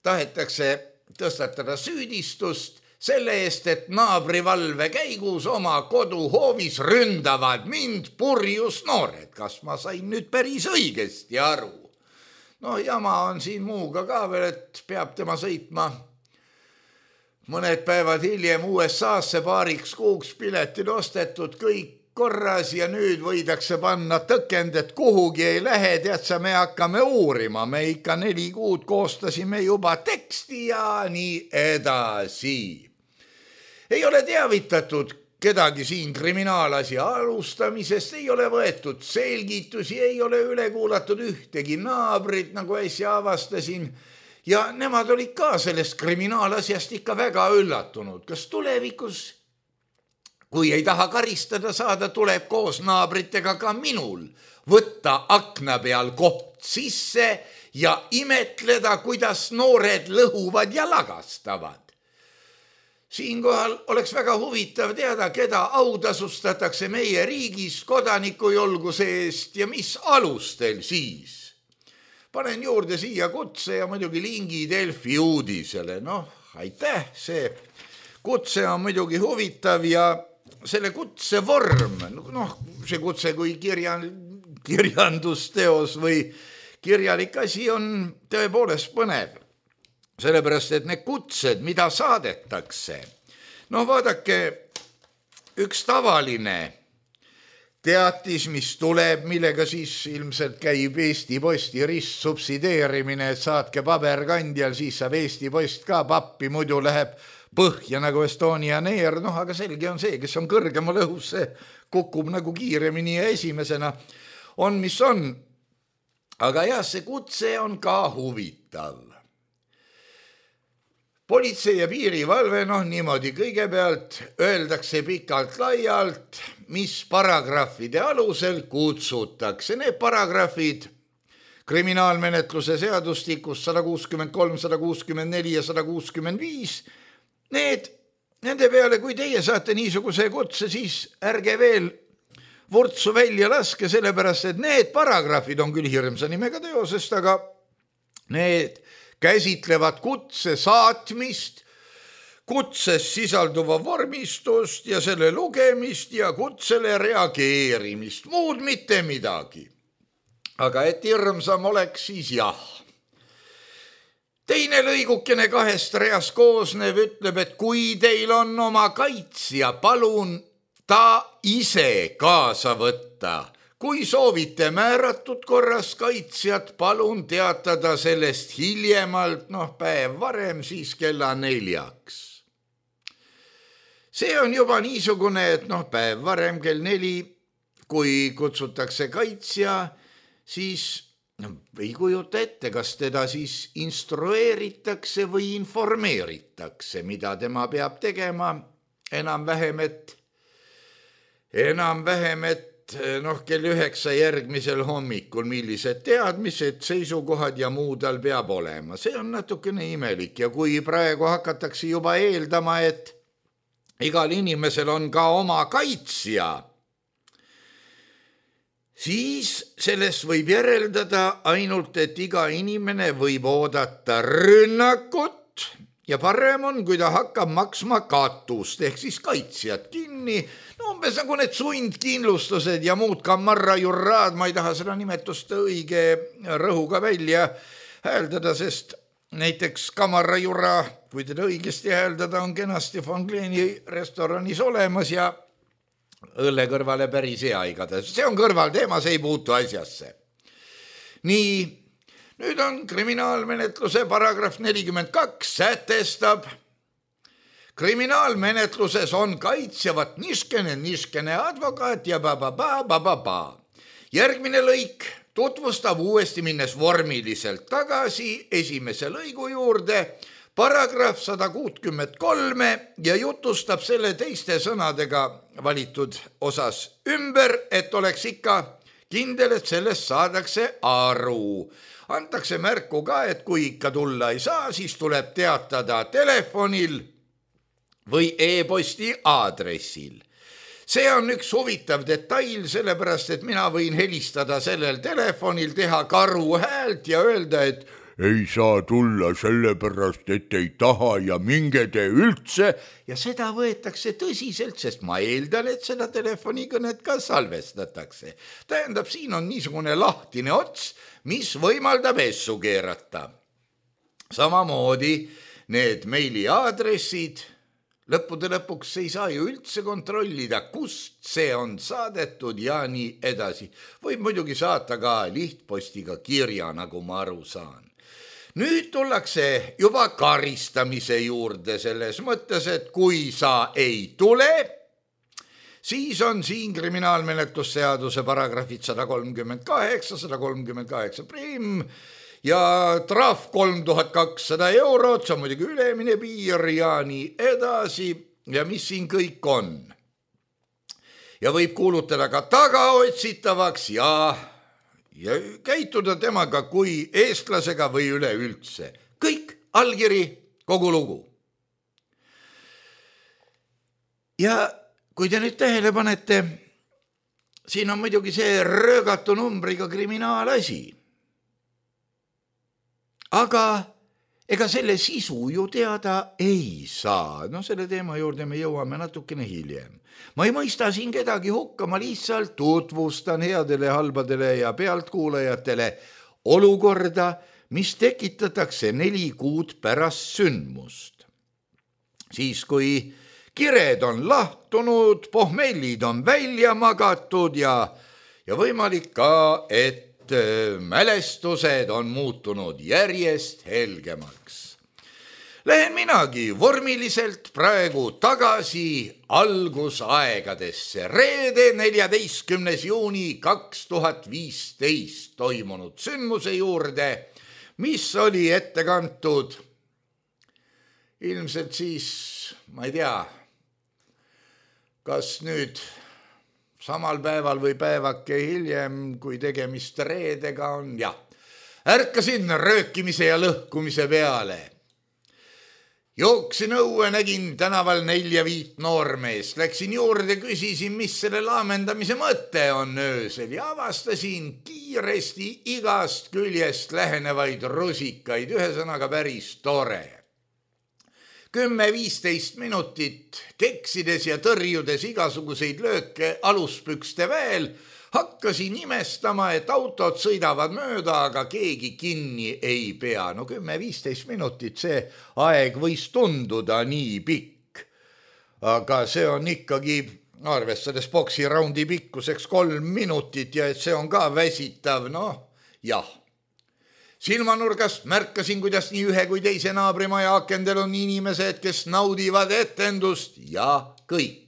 tahetakse tõstatada süüdistust selle eest, et naabrivalve käigus oma koduhoovis ründavad mind purjus noored. Kas ma sain nüüd päris õigesti aru? No jama on siin muuga ka veel, et peab tema sõitma mõned päevad hiljem U S A-sse paariks kuuks piletid ostetud, kõik korras ja nüüd võidakse panna tõkend, et kuhugi ei lähe, tead sa, me hakkame uurima, me ikka neli kuud koostasime juba teksti ja nii edasi. Ei ole teavitatud kedagi siin kriminaalasi alustamisest, ei ole võetud selgitusi, ei ole üle kuulatud ühtegi naabrit, nagu äsja avastasin, ja nemad olid ka sellest kriminaalasjast ikka väga üllatunud. Kas tulevikus, kui ei taha karistada saada, tuleb koos naabritega ka minul võtta akna peal koht sisse ja imetleda, kuidas noored lõhuvad ja lagastavad. Siinkohal oleks väga huvitav teada, keda autasustatakse meie riigis kodanikujulguse eest ja mis alustel siis. Panen juurde siia kutse ja muidugi lingi Delfi uudisele. Noh, aitäh, see kutse on muidugi huvitav ja selle kutse vorm, noh, see kutse kui kirjan, kirjandusteos või kirjalik asi on tõepoolest põnev. Sellepärast, et need kutsed, mida saadetakse, noh, vaadake, üks tavaline teatis, mis tuleb, millega siis ilmselt käib Eesti Posti ristsubsideerimine, et saatke paberkandjal, siis saab Eesti Post ka pappi, muidu läheb põhja nagu Estonian Air, noh, aga selge on see, kes on kõrgemal õhus, see kukub nagu kiiremini ja esimesena on, mis on. Aga jah, see kutse on ka huvitav. Politsei ja piirivalve, noh, niimoodi kõigepealt öeldakse pikalt laialt, mis paragrahvide alusel kutsutakse. Need paragrahvid kriminaalmenetluse seadustikus sada kuuskümmend kolm, sada kuuskümmend neli ja sada kuuskümmend viis, need, nende peale, kui teie saate niisuguse kutse, siis ärge veel vurtsu välja laske, sellepärast, et need paragrahvid on küll hirmsa nimega teosest, aga need käsitlevad kutse saatmist, kutses sisalduva vormistust ja selle lugemist ja kutsele reageerimist, muud mitte midagi. Aga et hirmsam oleks, siis jah. Teine lõigukene kahest reast koosnev ütleb, et kui teil on oma kaitsja, palun ta ise kaasa võtta. Kui soovite määratud korras kaitsjat, palun teatada sellest hiljemalt, noh, päev varem, siis kella neljaks. See on juba niisugune, et noh, päev varem kell neli, kui kutsutakse kaitsja, siis no, ei kujuta ette, kas teda siis instrueeritakse või informeeritakse, mida tema peab tegema, enam-vähem, et enam-vähem, et noh, kell üheksa järgmisel hommikul, millised teadmised, seisukohad ja muu tal peab olema. See on natukene imelik ja kui praegu hakatakse juba eeldama, et igal inimesel on ka oma kaitsja, siis sellest võib järeldada ainult, et iga inimene võib oodata rünnakut ja parem on, kui ta hakkab maksma katust ehk siis kaitsjad kinni. No umbes nagu need sundkindlustused ja muud kamarrajurraad, ma ei taha seda nimetust õige rõhuga välja hääldada, sest näiteks kamarrajurra, kui teda õigesti hääldada, on kenasti Von Kleeni restoranis olemas ja õlle kõrvale päris hea igatahes. See on kõrvalteema, see ei puutu asjasse. Nii, nüüd on kriminaalmenetluse paragrahv nelikümmend kaks sätestab, kriminaalmenetluses on kaitsjavat niskene, niskene advokaat ja ba-ba-ba, ba-ba-ba. Järgmine lõik tutvustab uuesti minnes vormiliselt tagasi esimese lõigu juurde, paragrahv sada kuuskümmend kolm ja jutustab selle teiste sõnadega valitud osas ümber, et oleks ikka kindel, et sellest saadakse aru. Antakse märku ka, et kui ikka tulla ei saa, siis tuleb teatada telefonil või e-posti aadressil. see on üks huvitav detail, sellepärast, et mina võin helistada sellel telefonil, teha karu häält ja öelda, et ei saa tulla sellepärast, et ei taha ja minge te üldse. Ja seda võetakse tõsiselt, sest ma eeldan, et seda telefonikõnet ka salvestatakse. Tähendab, siin on niisugune lahtine ots, mis võimaldab essu keerata. Samamoodi need meiliaadressid, lõppude lõpuks ei saa ju üldse kontrollida, kust see on saadetud ja nii edasi. Võib muidugi saata ka lihtpostiga kirja, nagu ma aru saan. Nüüd tullakse juba karistamise juurde selles mõttes, et kui sa ei tule, siis on siin kriminaalmenetlusseaduse paragrahvid sada kolmkümmend kaheksa, sada kolmkümmend kaheksa prim ja trahv kolm tuhat kakssada eurot, see on muidugi ülemine piir ja nii edasi ja mis siin kõik on. Ja võib kuulutada ka tagaotsitavaks ja... ja käituda temaga kui eestlasega või üleüldse. Kõik allkiri, kogu lugu. Ja kui te nüüd tähele panete, siin on muidugi see röögatu numbriga kriminaalasi. Aga ega selle sisu ju teada ei saa. No selle teema juurde me jõuame natukene hiljem. Ma ei mõista siin kedagi hukka, ma lihtsalt tutvustan headele, halbadele ja pealtkuulajatele olukorda, mis tekitatakse neli kuud pärast sündmust. Siis kui kired on lahtunud, pohmellid on välja magatud ja, ja võimalik ka, et mälestused on muutunud järjest helgemaks. Lähen minagi vormiliselt praegu tagasi algusaegadesse. Reede neljateistkümnes juuni kaks tuhat viisteist toimunud sündmuse juurde, mis oli ette kantud ilmselt siis, ma ei tea, kas nüüd samal päeval või päevake hiljem, kui tegemist reedega on, jah. Ärkasin röökimise ja lõhkumise peale. Jooksin õue, nägin tänaval nelja viit noormeest. Läksin juurde, küsisin, mis selle laamendamise mõte on öösel ja avastasin kiiresti igast küljest lähenevaid rusikaid. Ühesõnaga päris tore. Kümme viisteist minutit keksides ja tõrjudes igasuguseid lööke aluspükste veel, hakkasin imestama, et autod sõidavad mööda, aga keegi kinni ei pea. No kümme viisteist minutit, see aeg võis tunduda nii pikk. Aga see on ikkagi, arvestades boksiraundi pikkuseks kolm minutit ja et see on ka väsitav, noh, jah. Silmanurgast märkasin, kuidas nii ühe kui teise naabrimaja akendel on inimesed, kes naudivad etendust ja kõik.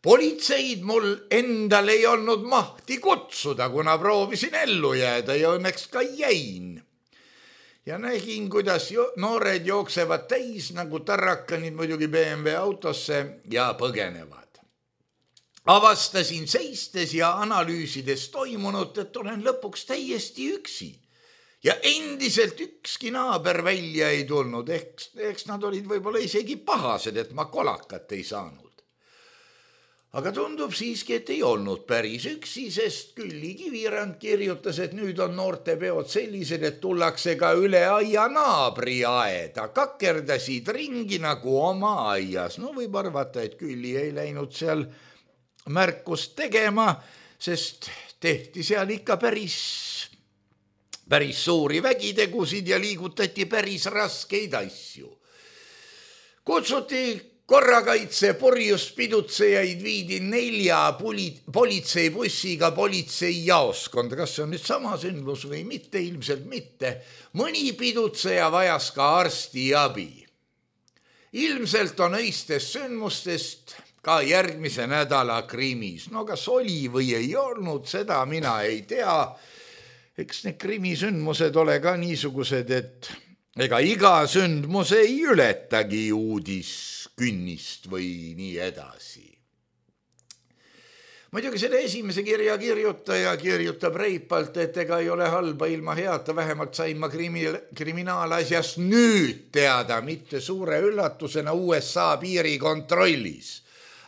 Politseid mul endal ei olnud mahti kutsuda, kuna proovisin ellu jääda ja õnneks ka jäin. Ja nägin, kuidas jo- noored jooksevad täis nagu tarrakanid muidugi B M W autosse ja põgenevad. Avastasin seistes ja analüüsides toimunut, et olen lõpuks täiesti üksi. Ja endiselt ükski naaber välja ei tulnud, eks, eks nad olid võib-olla isegi pahased, et ma kolakat ei saanud. Aga tundub siiski, et ei olnud päris üksi, sest Külli Kivirand kirjutas, et nüüd on noortepeod sellised, et tullakse ka üle aia naabri aeda. Kakerdasid ringi nagu oma aias. No võib arvata, et Külli ei läinud seal märkust tegema, sest tehti seal ikka päris, päris suuri vägitegusid ja liigutati päris raskeid asju. Kutsuti korrakaitse purjuspidutsejaid viidi nelja poli- politseibussiga politseijaoskonda. Kas see on nüüd sama sündmus või mitte? Ilmselt mitte. Mõni pidutseja vajas ka arsti abi. Ilmselt on öistest sündmustest ka järgmise nädala krimis. No kas oli või ei olnud, seda mina ei tea. Eks need krimisündmused ole ka niisugused, et ega iga sündmus ei ületagi uudis künnist või nii edasi. Muidugi selle esimese kirja kirjutaja kirjutab reipalt, et ega ei ole halba ilma heata, vähemalt sain ma krimi- kriminaalasjast nüüd teada, mitte suure üllatusena U S A piirikontrollis.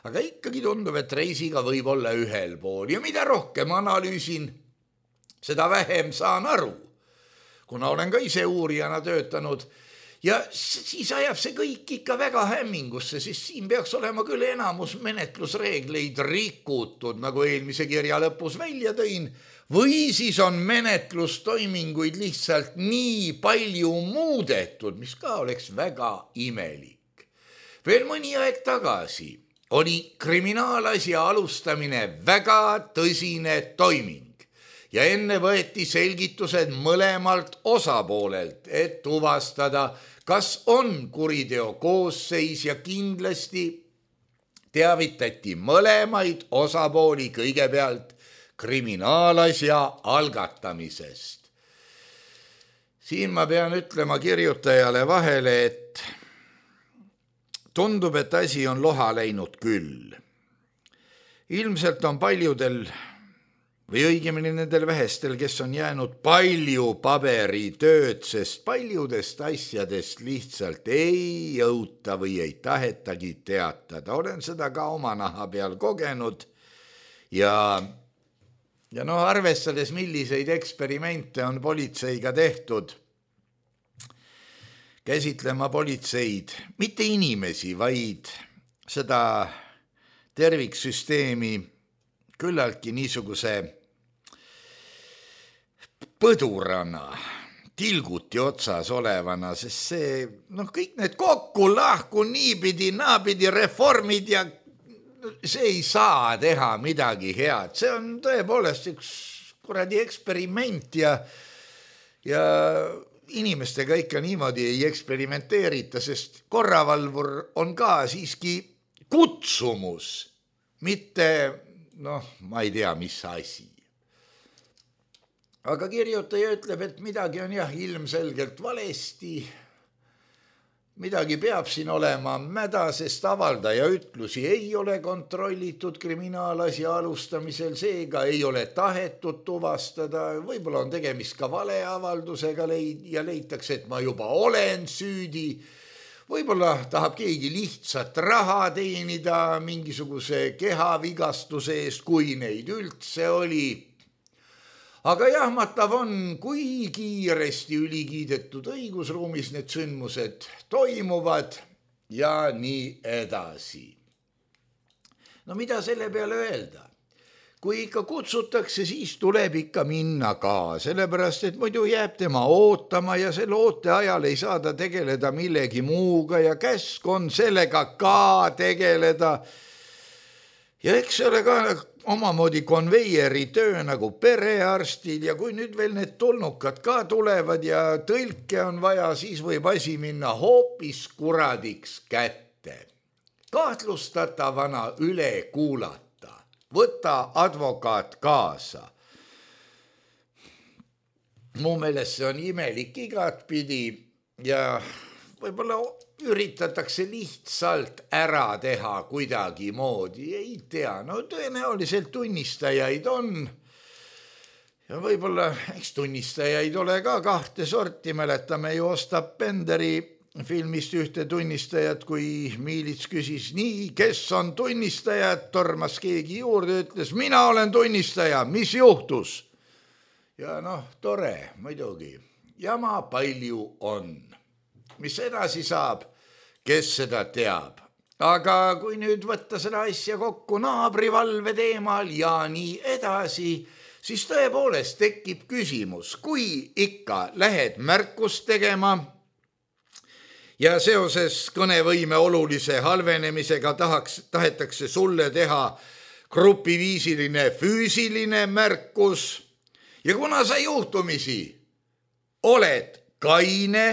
aga ikkagi tundub, et reisiga võib olla ühel pool ja mida rohkem analüüsin, seda vähem saan aru, kuna olen ka ise uurijana töötanud ja siis ajab see kõik ikka väga hämmingusse, siis siin peaks olema küll enamus menetlusreegleid rikutud, nagu eelmise kirja lõpus välja tõin, või siis on menetlustoiminguid lihtsalt nii palju muudetud, mis ka oleks väga imelik. Veel mõni aeg tagasi oli kriminaalasja alustamine väga tõsine toiming ja enne võeti selgitused mõlemalt osapoolelt, et tuvastada, kas on kuriteo koosseis ja kindlasti teavitati mõlemaid osapooli kõigepealt kriminaalasja algatamisest. Siin ma pean ütlema kirjutajale vahele, et tundub, et asi on loha läinud küll. Ilmselt on paljudel või õigemini nendel vähestel, kes on jäänud palju paberitööd, sest paljudest asjadest lihtsalt ei jõuta või ei tahetagi teatada. Olen seda ka oma naha peal kogenud ja, ja no arvestades, milliseid eksperimente on politseiga tehtud, käsitlema politseid, mitte inimesi, vaid seda terviksüsteemi küllaltki niisuguse põdurana, tilguti otsas olevana, sest see, noh, kõik need kokku lahku niipidi, naapidi reformid ja see ei saa teha midagi head. See on tõepoolest üks kuradi eksperiment ja, ja inimestega ikka niimoodi ei eksperimenteerita, sest korravalvur on ka siiski kutsumus, mitte, noh, ma ei tea, mis asi. Aga kirjutaja ütleb, et midagi on jah ilmselgelt valesti, midagi peab siin olema mäda, sest avaldaja ütlusi ei ole kontrollitud kriminaalasja alustamisel, seega ei ole tahetud tuvastada, võib-olla on tegemist ka valeavaldusega ja leitakse, et ma juba olen süüdi, võib-olla tahab keegi lihtsalt raha teenida mingisuguse kehavigastuse eest, kui neid üldse oli. Aga jahmatav on, kui kiiresti ülikiidetud õigusruumis need sündmused toimuvad ja nii edasi. No mida selle peale öelda? Kui ikka kutsutakse, siis tuleb ikka minna ka, sellepärast, et muidu jääb tema ootama ja selle oote ajal ei saa ta tegeleda millegi muuga ja käsk on sellega ka tegeleda. Ja eks see ole ka omamoodi konveieri töö nagu perearstil ja kui nüüd veel need tulnukad ka tulevad ja tõlke on vaja, siis võib asi minna hoopis kuradiks kätte. Kahtlustatavana üle kuulata, võta advokaat kaasa. Mu meelest see on imelik igatpidi ja võib-olla üritatakse lihtsalt ära teha kuidagi moodi, ei tea, no tõenäoliselt tunnistajaid on ja võib-olla, eks tunnistajaid ole ka kahte sorti, mäletame ju Ostap Benderi filmist ühte tunnistajat, kui Miilits küsis nii, kes on tunnistajad, tormas keegi juurde, ütles, mina olen tunnistaja, mis juhtus? Ja noh, tore, muidugi, jama palju on. Mis edasi saab, kes seda teab. Aga kui nüüd võtta seda asja kokku naabrivalve teemal ja nii edasi, siis tõepoolest tekib küsimus, kui ikka lähed märkust tegema ja seoses kõnevõime olulise halvenemisega tahaks, tahetakse sulle teha grupiviisiline füüsiline märkus ja kuna sa juhtumisi oled kaine,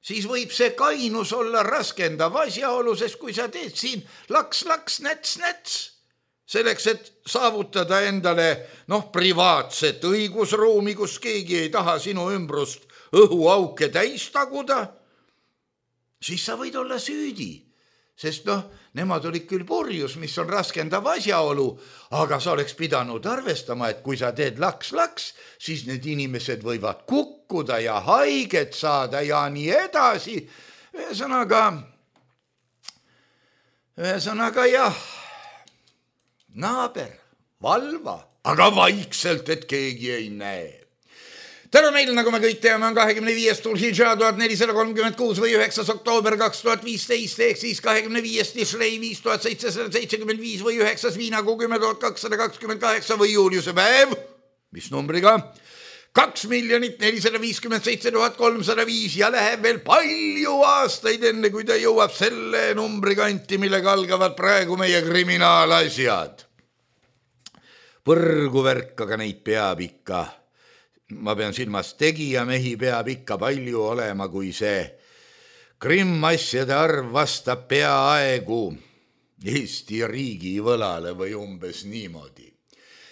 siis võib see kainus olla raskendav asjaolu, sest kui sa teed siin laks, laks, näts, näts, selleks, et saavutada endale noh, privaatset õigusruumi, kus keegi ei taha sinu ümbrust õhuauke täis taguda, siis sa võid olla süüdi, sest noh, nemad olid küll purjus, mis on raskendav asjaolu, aga sa oleks pidanud arvestama, et kui sa teed laks-laks, siis need inimesed võivad kukkuda ja haiget saada ja nii edasi. Ühesõnaga, ühesõnaga jah, naaber, valva, aga vaikselt, et keegi ei näe. täna meil, nagu me kõik teame, on kahekümne viies Tulhidža tuhat nelisada kolmkümmend kuus või üheksas oktoober kaks tuhat viisteist ehk siis kahekümne viies Tishrei viis tuhat seitsesada seitsekümmend viis või üheksas Viinakuu kümme tuhat kakssada kakskümmend kaheksa või juuliuse päev, mis numbriga kaks miljonit nelisada viiskümmend seitse tuhat kolmsada viis ja läheb veel palju aastaid enne, kui ta jõuab selle numbri kanti, millega algavad praegu meie kriminaalasjad. Põrguvärk, aga neid peab ikka. Ma pean silmas tegijamehi peab ikka palju olema, kui see krimmasjade arv vastab peaaegu Eesti riigi võlale või umbes niimoodi.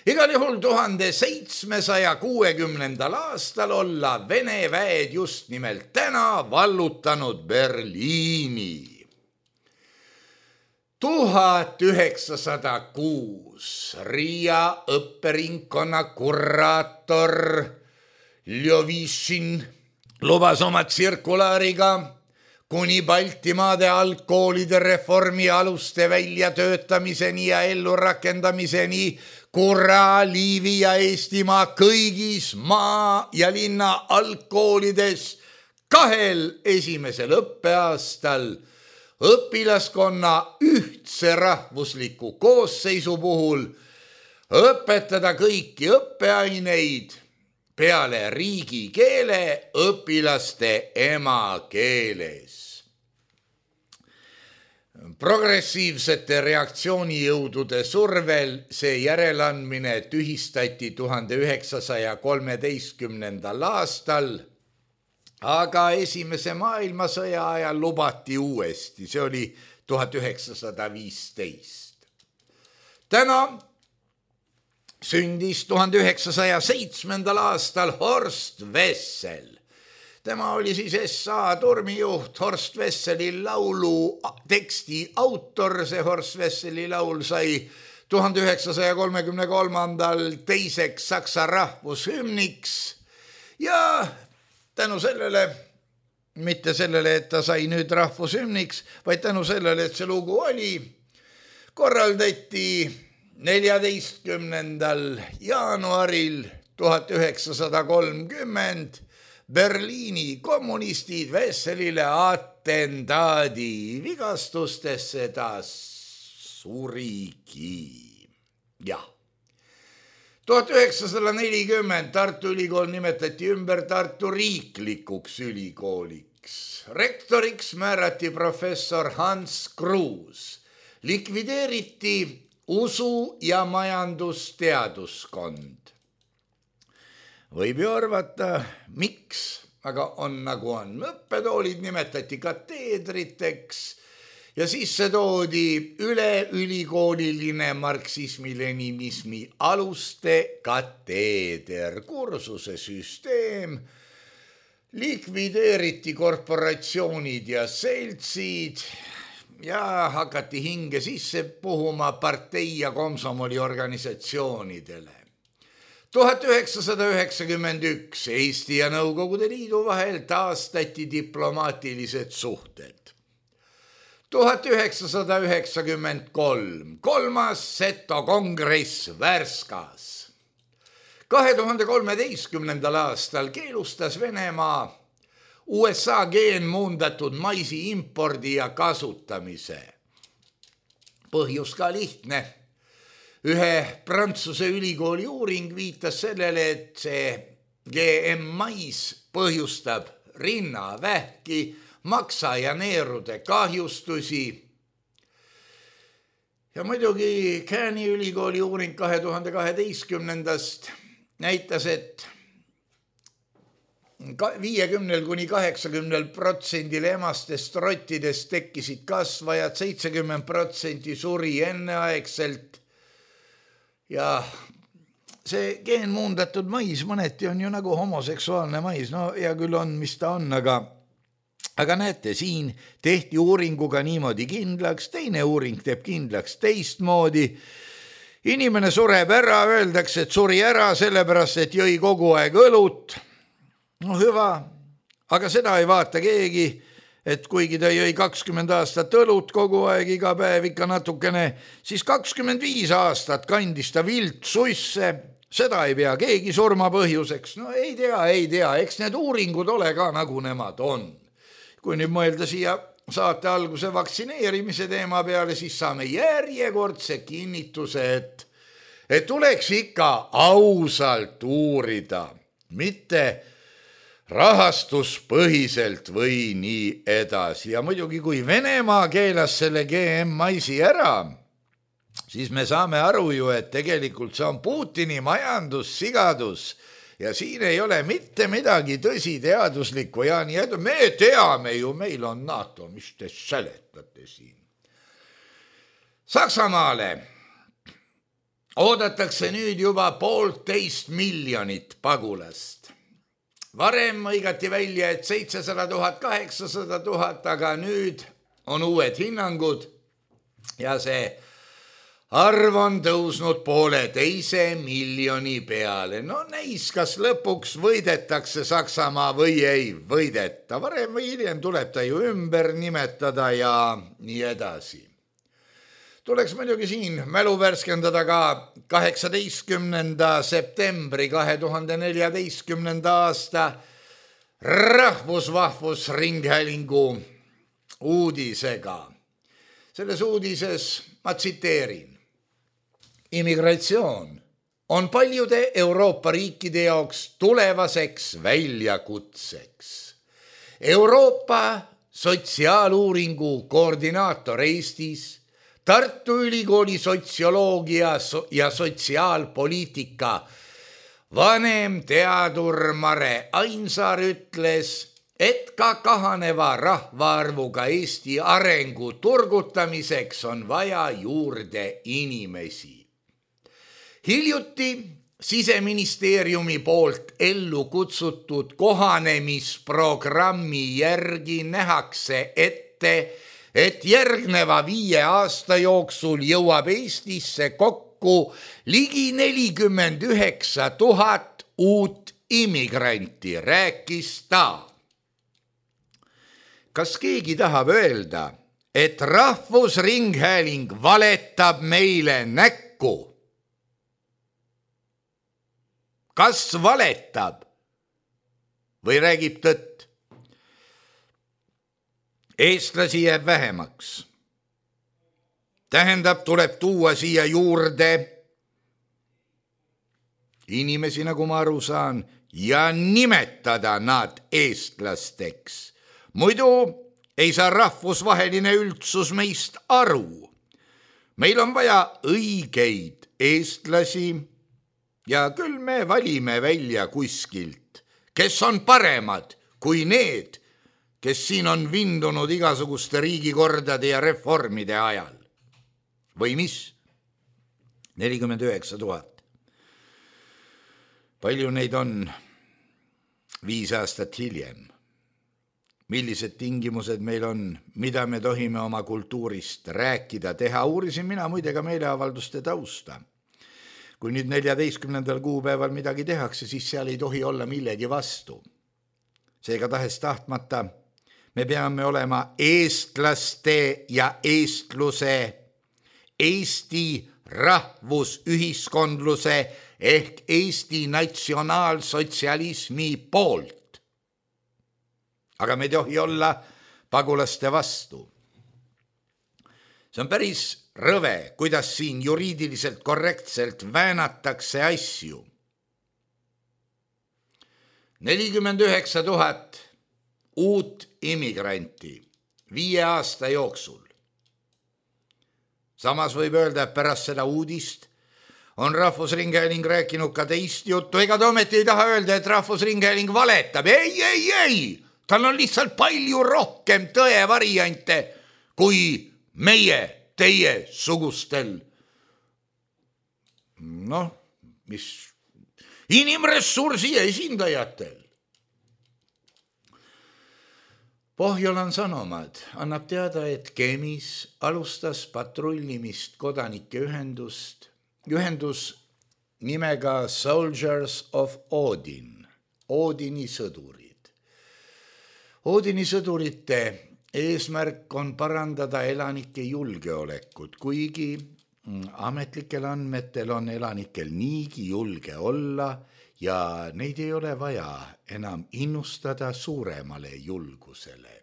Igal juhul tuhande seitsmesaja kuuekümnendal aastal olla Vene väed just nimelt täna vallutanud Berliini. tuhat üheksasada kuus Riia õpperingkonna kuraator Ljovišin lubas oma tsirkulaariga kuni Baltimaade algkoolide reformi aluste väljatöötamiseni ja ellurakendamiseni Kura, Liivi ja Eestimaa kõigis maa- ja linna algkoolides kahel esimesel õppeaastal õpilaskonna ühtse rahvusliku koosseisu puhul õpetada kõiki õppeaineid peale riigikeele õpilaste emakeeles. Progressiivsete reaktsioonijõudude survel see järeleandmine tühistati tuhande üheksasaja kolmeteistkümnendal aastal, aga esimese maailmasõja ajal lubati uuesti, see oli tuhat üheksasada viisteist. Täna sündis tuhande üheksasaja seitsmendal aastal Horst Wessel. Tema oli siis S A tormijuht, Horst Wesseli laulu teksti autor. See Horst Wesseli laul sai tuhande üheksasaja kolmekümne kolmandal teiseks Saksa rahvushümniks ja tänu sellele, mitte sellele, et ta sai nüüd rahvushümniks, vaid tänu sellele, et see lugu oli, korraldati neljateistkümnendal jaanuaril tuhat üheksasada kolmkümmend Berliini kommunistid Wesselile atentaadi, vigastustesse ta surigi. Jah. tuhat üheksasada nelikümmend Tartu Ülikool nimetati ümber Tartu riiklikuks ülikooliks. Rektoriks määrati professor Hans Kruus. Likvideeriti usu- ja majandusteaduskond. Võib ju arvata, miks, aga on nagu on. Õppetoolid nimetati kateedriteks ja sisse toodi üleülikooliline marksismi-leninismi aluste kateeder, kursuse süsteem, likvideeriti korporatsioonid ja seltsid ja hakati hinge sisse puhuma partei- ja komsomoli organisatsioonidele. tuhat üheksasada üheksakümmend üks Eesti ja Nõukogude Liidu vahel taastati diplomaatilised suhted. tuhat üheksasada üheksakümmend kolm kolmas Seto kongress Värskas. kahe tuhande kolmeteistkümnendal aastal keelustas Venemaa U S A geenmuundatud maisi impordi ja kasutamise. Põhjus ka lihtne. Ühe Prantsuse ülikooli uuring viitas sellele, et see G M mais põhjustab rinnavähki, maksa ja neerude kahjustusi. Ja muidugi Cairni ülikooli uuring kahe tuhande kaheteistkümnendast näitas, et viiekümnel kuni kaheksakümnel protsendil emastest rottidest tekkisid kasvajad, seitsekümmend protsenti suri enneaegselt. Ja see geenmuundatud mais mõneti on ju nagu homoseksuaalne mais, no ja küll on, mis ta on, aga, aga näete, siin tehti uuringuga niimoodi kindlaks, teine uuring teeb kindlaks teistmoodi. Inimene sureb ära, öeldakse, et suri ära sellepärast, et jõi kogu aeg õlut. No hüva, aga seda ei vaata keegi. et kuigi ta jõi kakskümmend aastat õlut kogu aeg, iga päev ikka natukene, siis kakskümmend viis aastat kandis ta vilt suisse, seda ei pea keegi surma põhjuseks. No ei tea, ei tea, eks need uuringud ole ka nagu nemad on. Kui nüüd mõelda siia saate alguse vaktsineerimise teema peale, siis saame järjekordse kinnituse, et, et tuleks ikka ausalt uurida, mitte rahastuspõhiselt või nii edasi. Ja muidugi, kui Venemaa keelas selle G M maisi ära, siis me saame aru ju, et tegelikult see on Putini majandussigadus ja siin ei ole mitte midagi tõsiteaduslikku ja nii edasi. Me teame ju, meil on NATO, mis te seletate siin. Saksamaale oodatakse nüüd juba poolteist miljonit pagulast. Varem õigati välja, et seitsesada tuhat, kaheksasada tuhat, aga nüüd on uued hinnangud ja see arv on tõusnud poole teise miljoni peale. No näis, kas lõpuks võidetakse Saksamaa või ei võideta. Varem või hiljem tuleb ta ju ümber nimetada ja nii edasi. Tuleks muidugi siin mälu värskendada ka kaheksateistkümnenda septembri kahe tuhande neljateistkümnenda aasta Rahvusvahvusringhäälingu uudisega. Selles uudises ma tsiteerin. Immigratsioon on paljude Euroopa riikide jaoks tulevaseks väljakutseks. Euroopa sotsiaaluuringu koordinaator Eestis, Tartu Ülikooli sotsioloogia ja sotsiaalpoliitika vanem teadur Mare Ainsaar ütles, et ka kahaneva rahvaarvuga Eesti arengu turgutamiseks on vaja juurde inimesi. Hiljuti Siseministeeriumi poolt ellu kutsutud kohanemisprogrammi järgi nähakse ette, et järgneva viie aasta jooksul jõuab Eestisse kokku ligi nelikümmend üheksa tuhat uut immigranti, rääkis ta. Kas keegi tahab öelda, et Rahvusringhääling valetab meile näkku? Kas valetab või räägib tõtt? Eestlasi jääb vähemaks. Tähendab, tuleb tuua siia juurde inimesi, nagu ma aru saan, ja nimetada nad eestlasteks. Muidu ei saa rahvusvaheline üldsus meist aru. Meil on vaja õigeid eestlasi ja küll me valime välja kuskilt, kes on paremad kui need, kes siin on vindunud igasuguste riigikordade ja reformide ajal. Või mis? nelikümmend üheksa tuhat. Palju neid on viis aastat hiljem? Millised tingimused meil on, mida me tohime oma kultuurist rääkida, teha? Uurisin mina muide ka meeleavalduste tausta. Kui nüüd neljateistkümnendal kuupäeval midagi tehakse, siis seal ei tohi olla millegi vastu. Seega tahes tahtmata me peame olema eestlaste ja eestluse, Eesti rahvusühiskondluse ehk Eesti natsionaalsotsialismi poolt. Aga me ei tohi olla pagulaste vastu. See on päris rõve, kuidas siin juriidiliselt korrektselt väänatakse asju. nelikümmend üheksa tuhat uut immigranti viie aasta jooksul. Samas võib öelda, et pärast seda uudist on Rahvusringhääling rääkinud ka teist juttu. Ega ta ometi ei taha öelda, et Rahvusringhääling valetab. Ei, ei, ei! Tal on lihtsalt palju rohkem tõe variante kui meie, teie sugustel. Noh, mis inimressursi esindajatel. Pohjolan Sanomad annab teada, et Kemis alustas patrullimist kodanike ühendust, ühendus nimega Soldiers of Odin, Odini sõdurid. Odini sõdurite eesmärk on parandada elanike julgeolekut, kuigi ametlikel andmetel on elanikel niigi julge olla ja neid ei ole vaja enam innustada suuremale julgusele.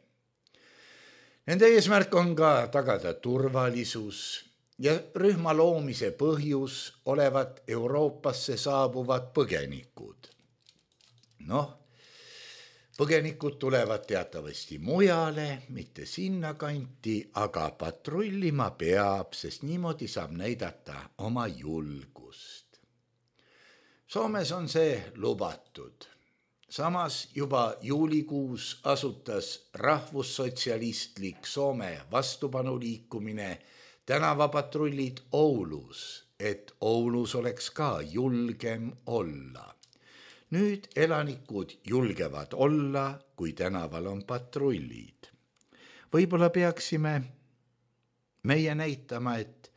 Nende eesmärk on ka tagada turvalisus ja rühma loomise põhjus olevat Euroopasse saabuvad põgenikud. Noh, põgenikud tulevad teatavasti mujale, mitte sinna kanti, aga patrullima peab, sest niimoodi saab näidata oma julgust. Soomes on see lubatud. Samas juba juulikuus asutas rahvussotsialistlik Soome vastupanuliikumine tänavapatrullid Oulus, et Oulus oleks ka julgem olla. Nüüd elanikud julgevad olla, kui tänaval on patrullid. Võib-olla peaksime meie näitama, et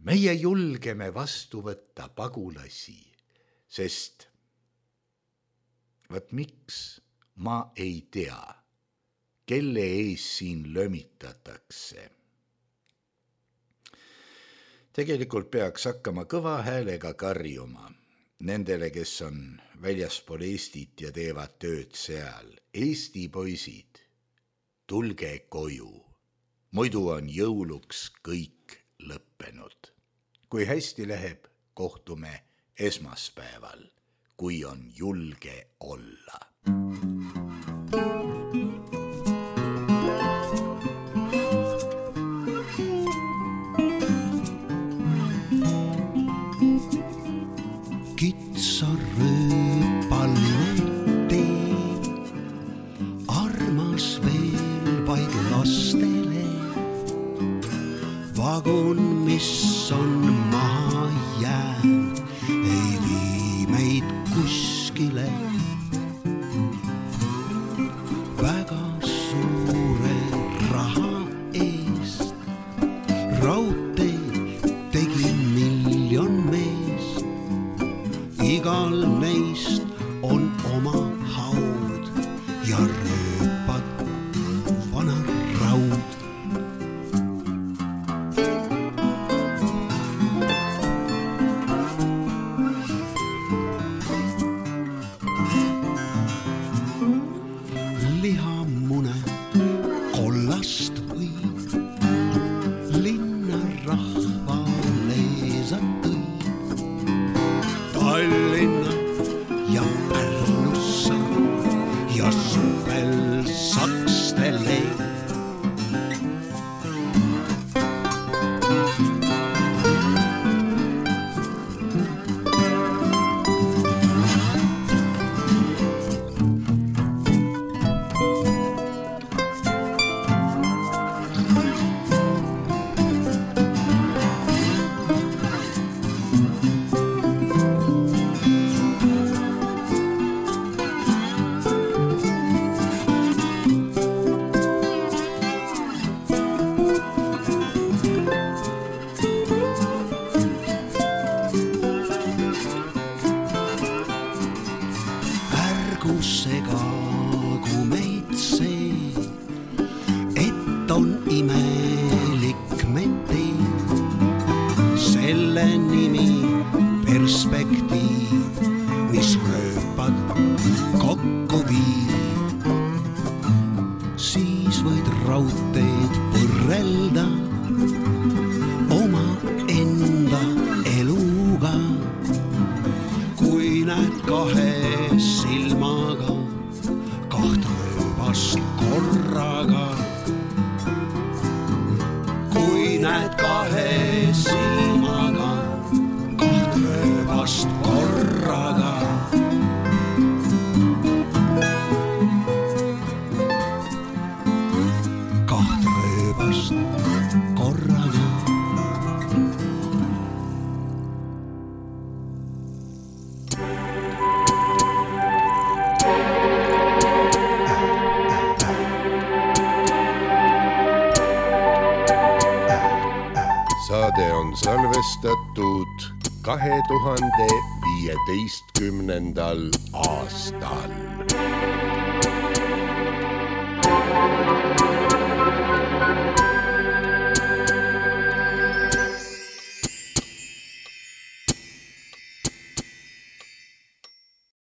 meie julgeme vastu võtta pagulasi, sest võt miks ma ei tea, kelle ees siin lömitatakse. Tegelikult peaks hakkama kõva häälega karjuma nendele, kes on väljaspool Eestit ja teevad tööd seal. Eesti poisid, tulge koju, muidu on jõuluks kõik lõppenud. Kui hästi läheb, kohtume esmaspäeval, kui on julge olla. Vagun, mis on maha jäänud, ei vii meid kuskile. Väga suure raha eest raudteed tegi miljon meest. Igal neist on oma haud ja rööpad vana raud. Lihamune kollast võid, linna rahvale sa tõid. Tallinna ja Pärnussa ja suvel Sakstele. Segagu meid see, et on imelik meteed. Selle nimi perspektiiv, mis rööpad kokku viib. Siis võid raudteed võrrelda oma enda eluga. Kui näed kahe silmaga kaht rööbast korraga. Kui näed kahe silmaga kaht rööbast korraga. Kaht rööbast korraga. Saade on salvestatud kahe tuhande viieteistkümnendal aastal. Thank you.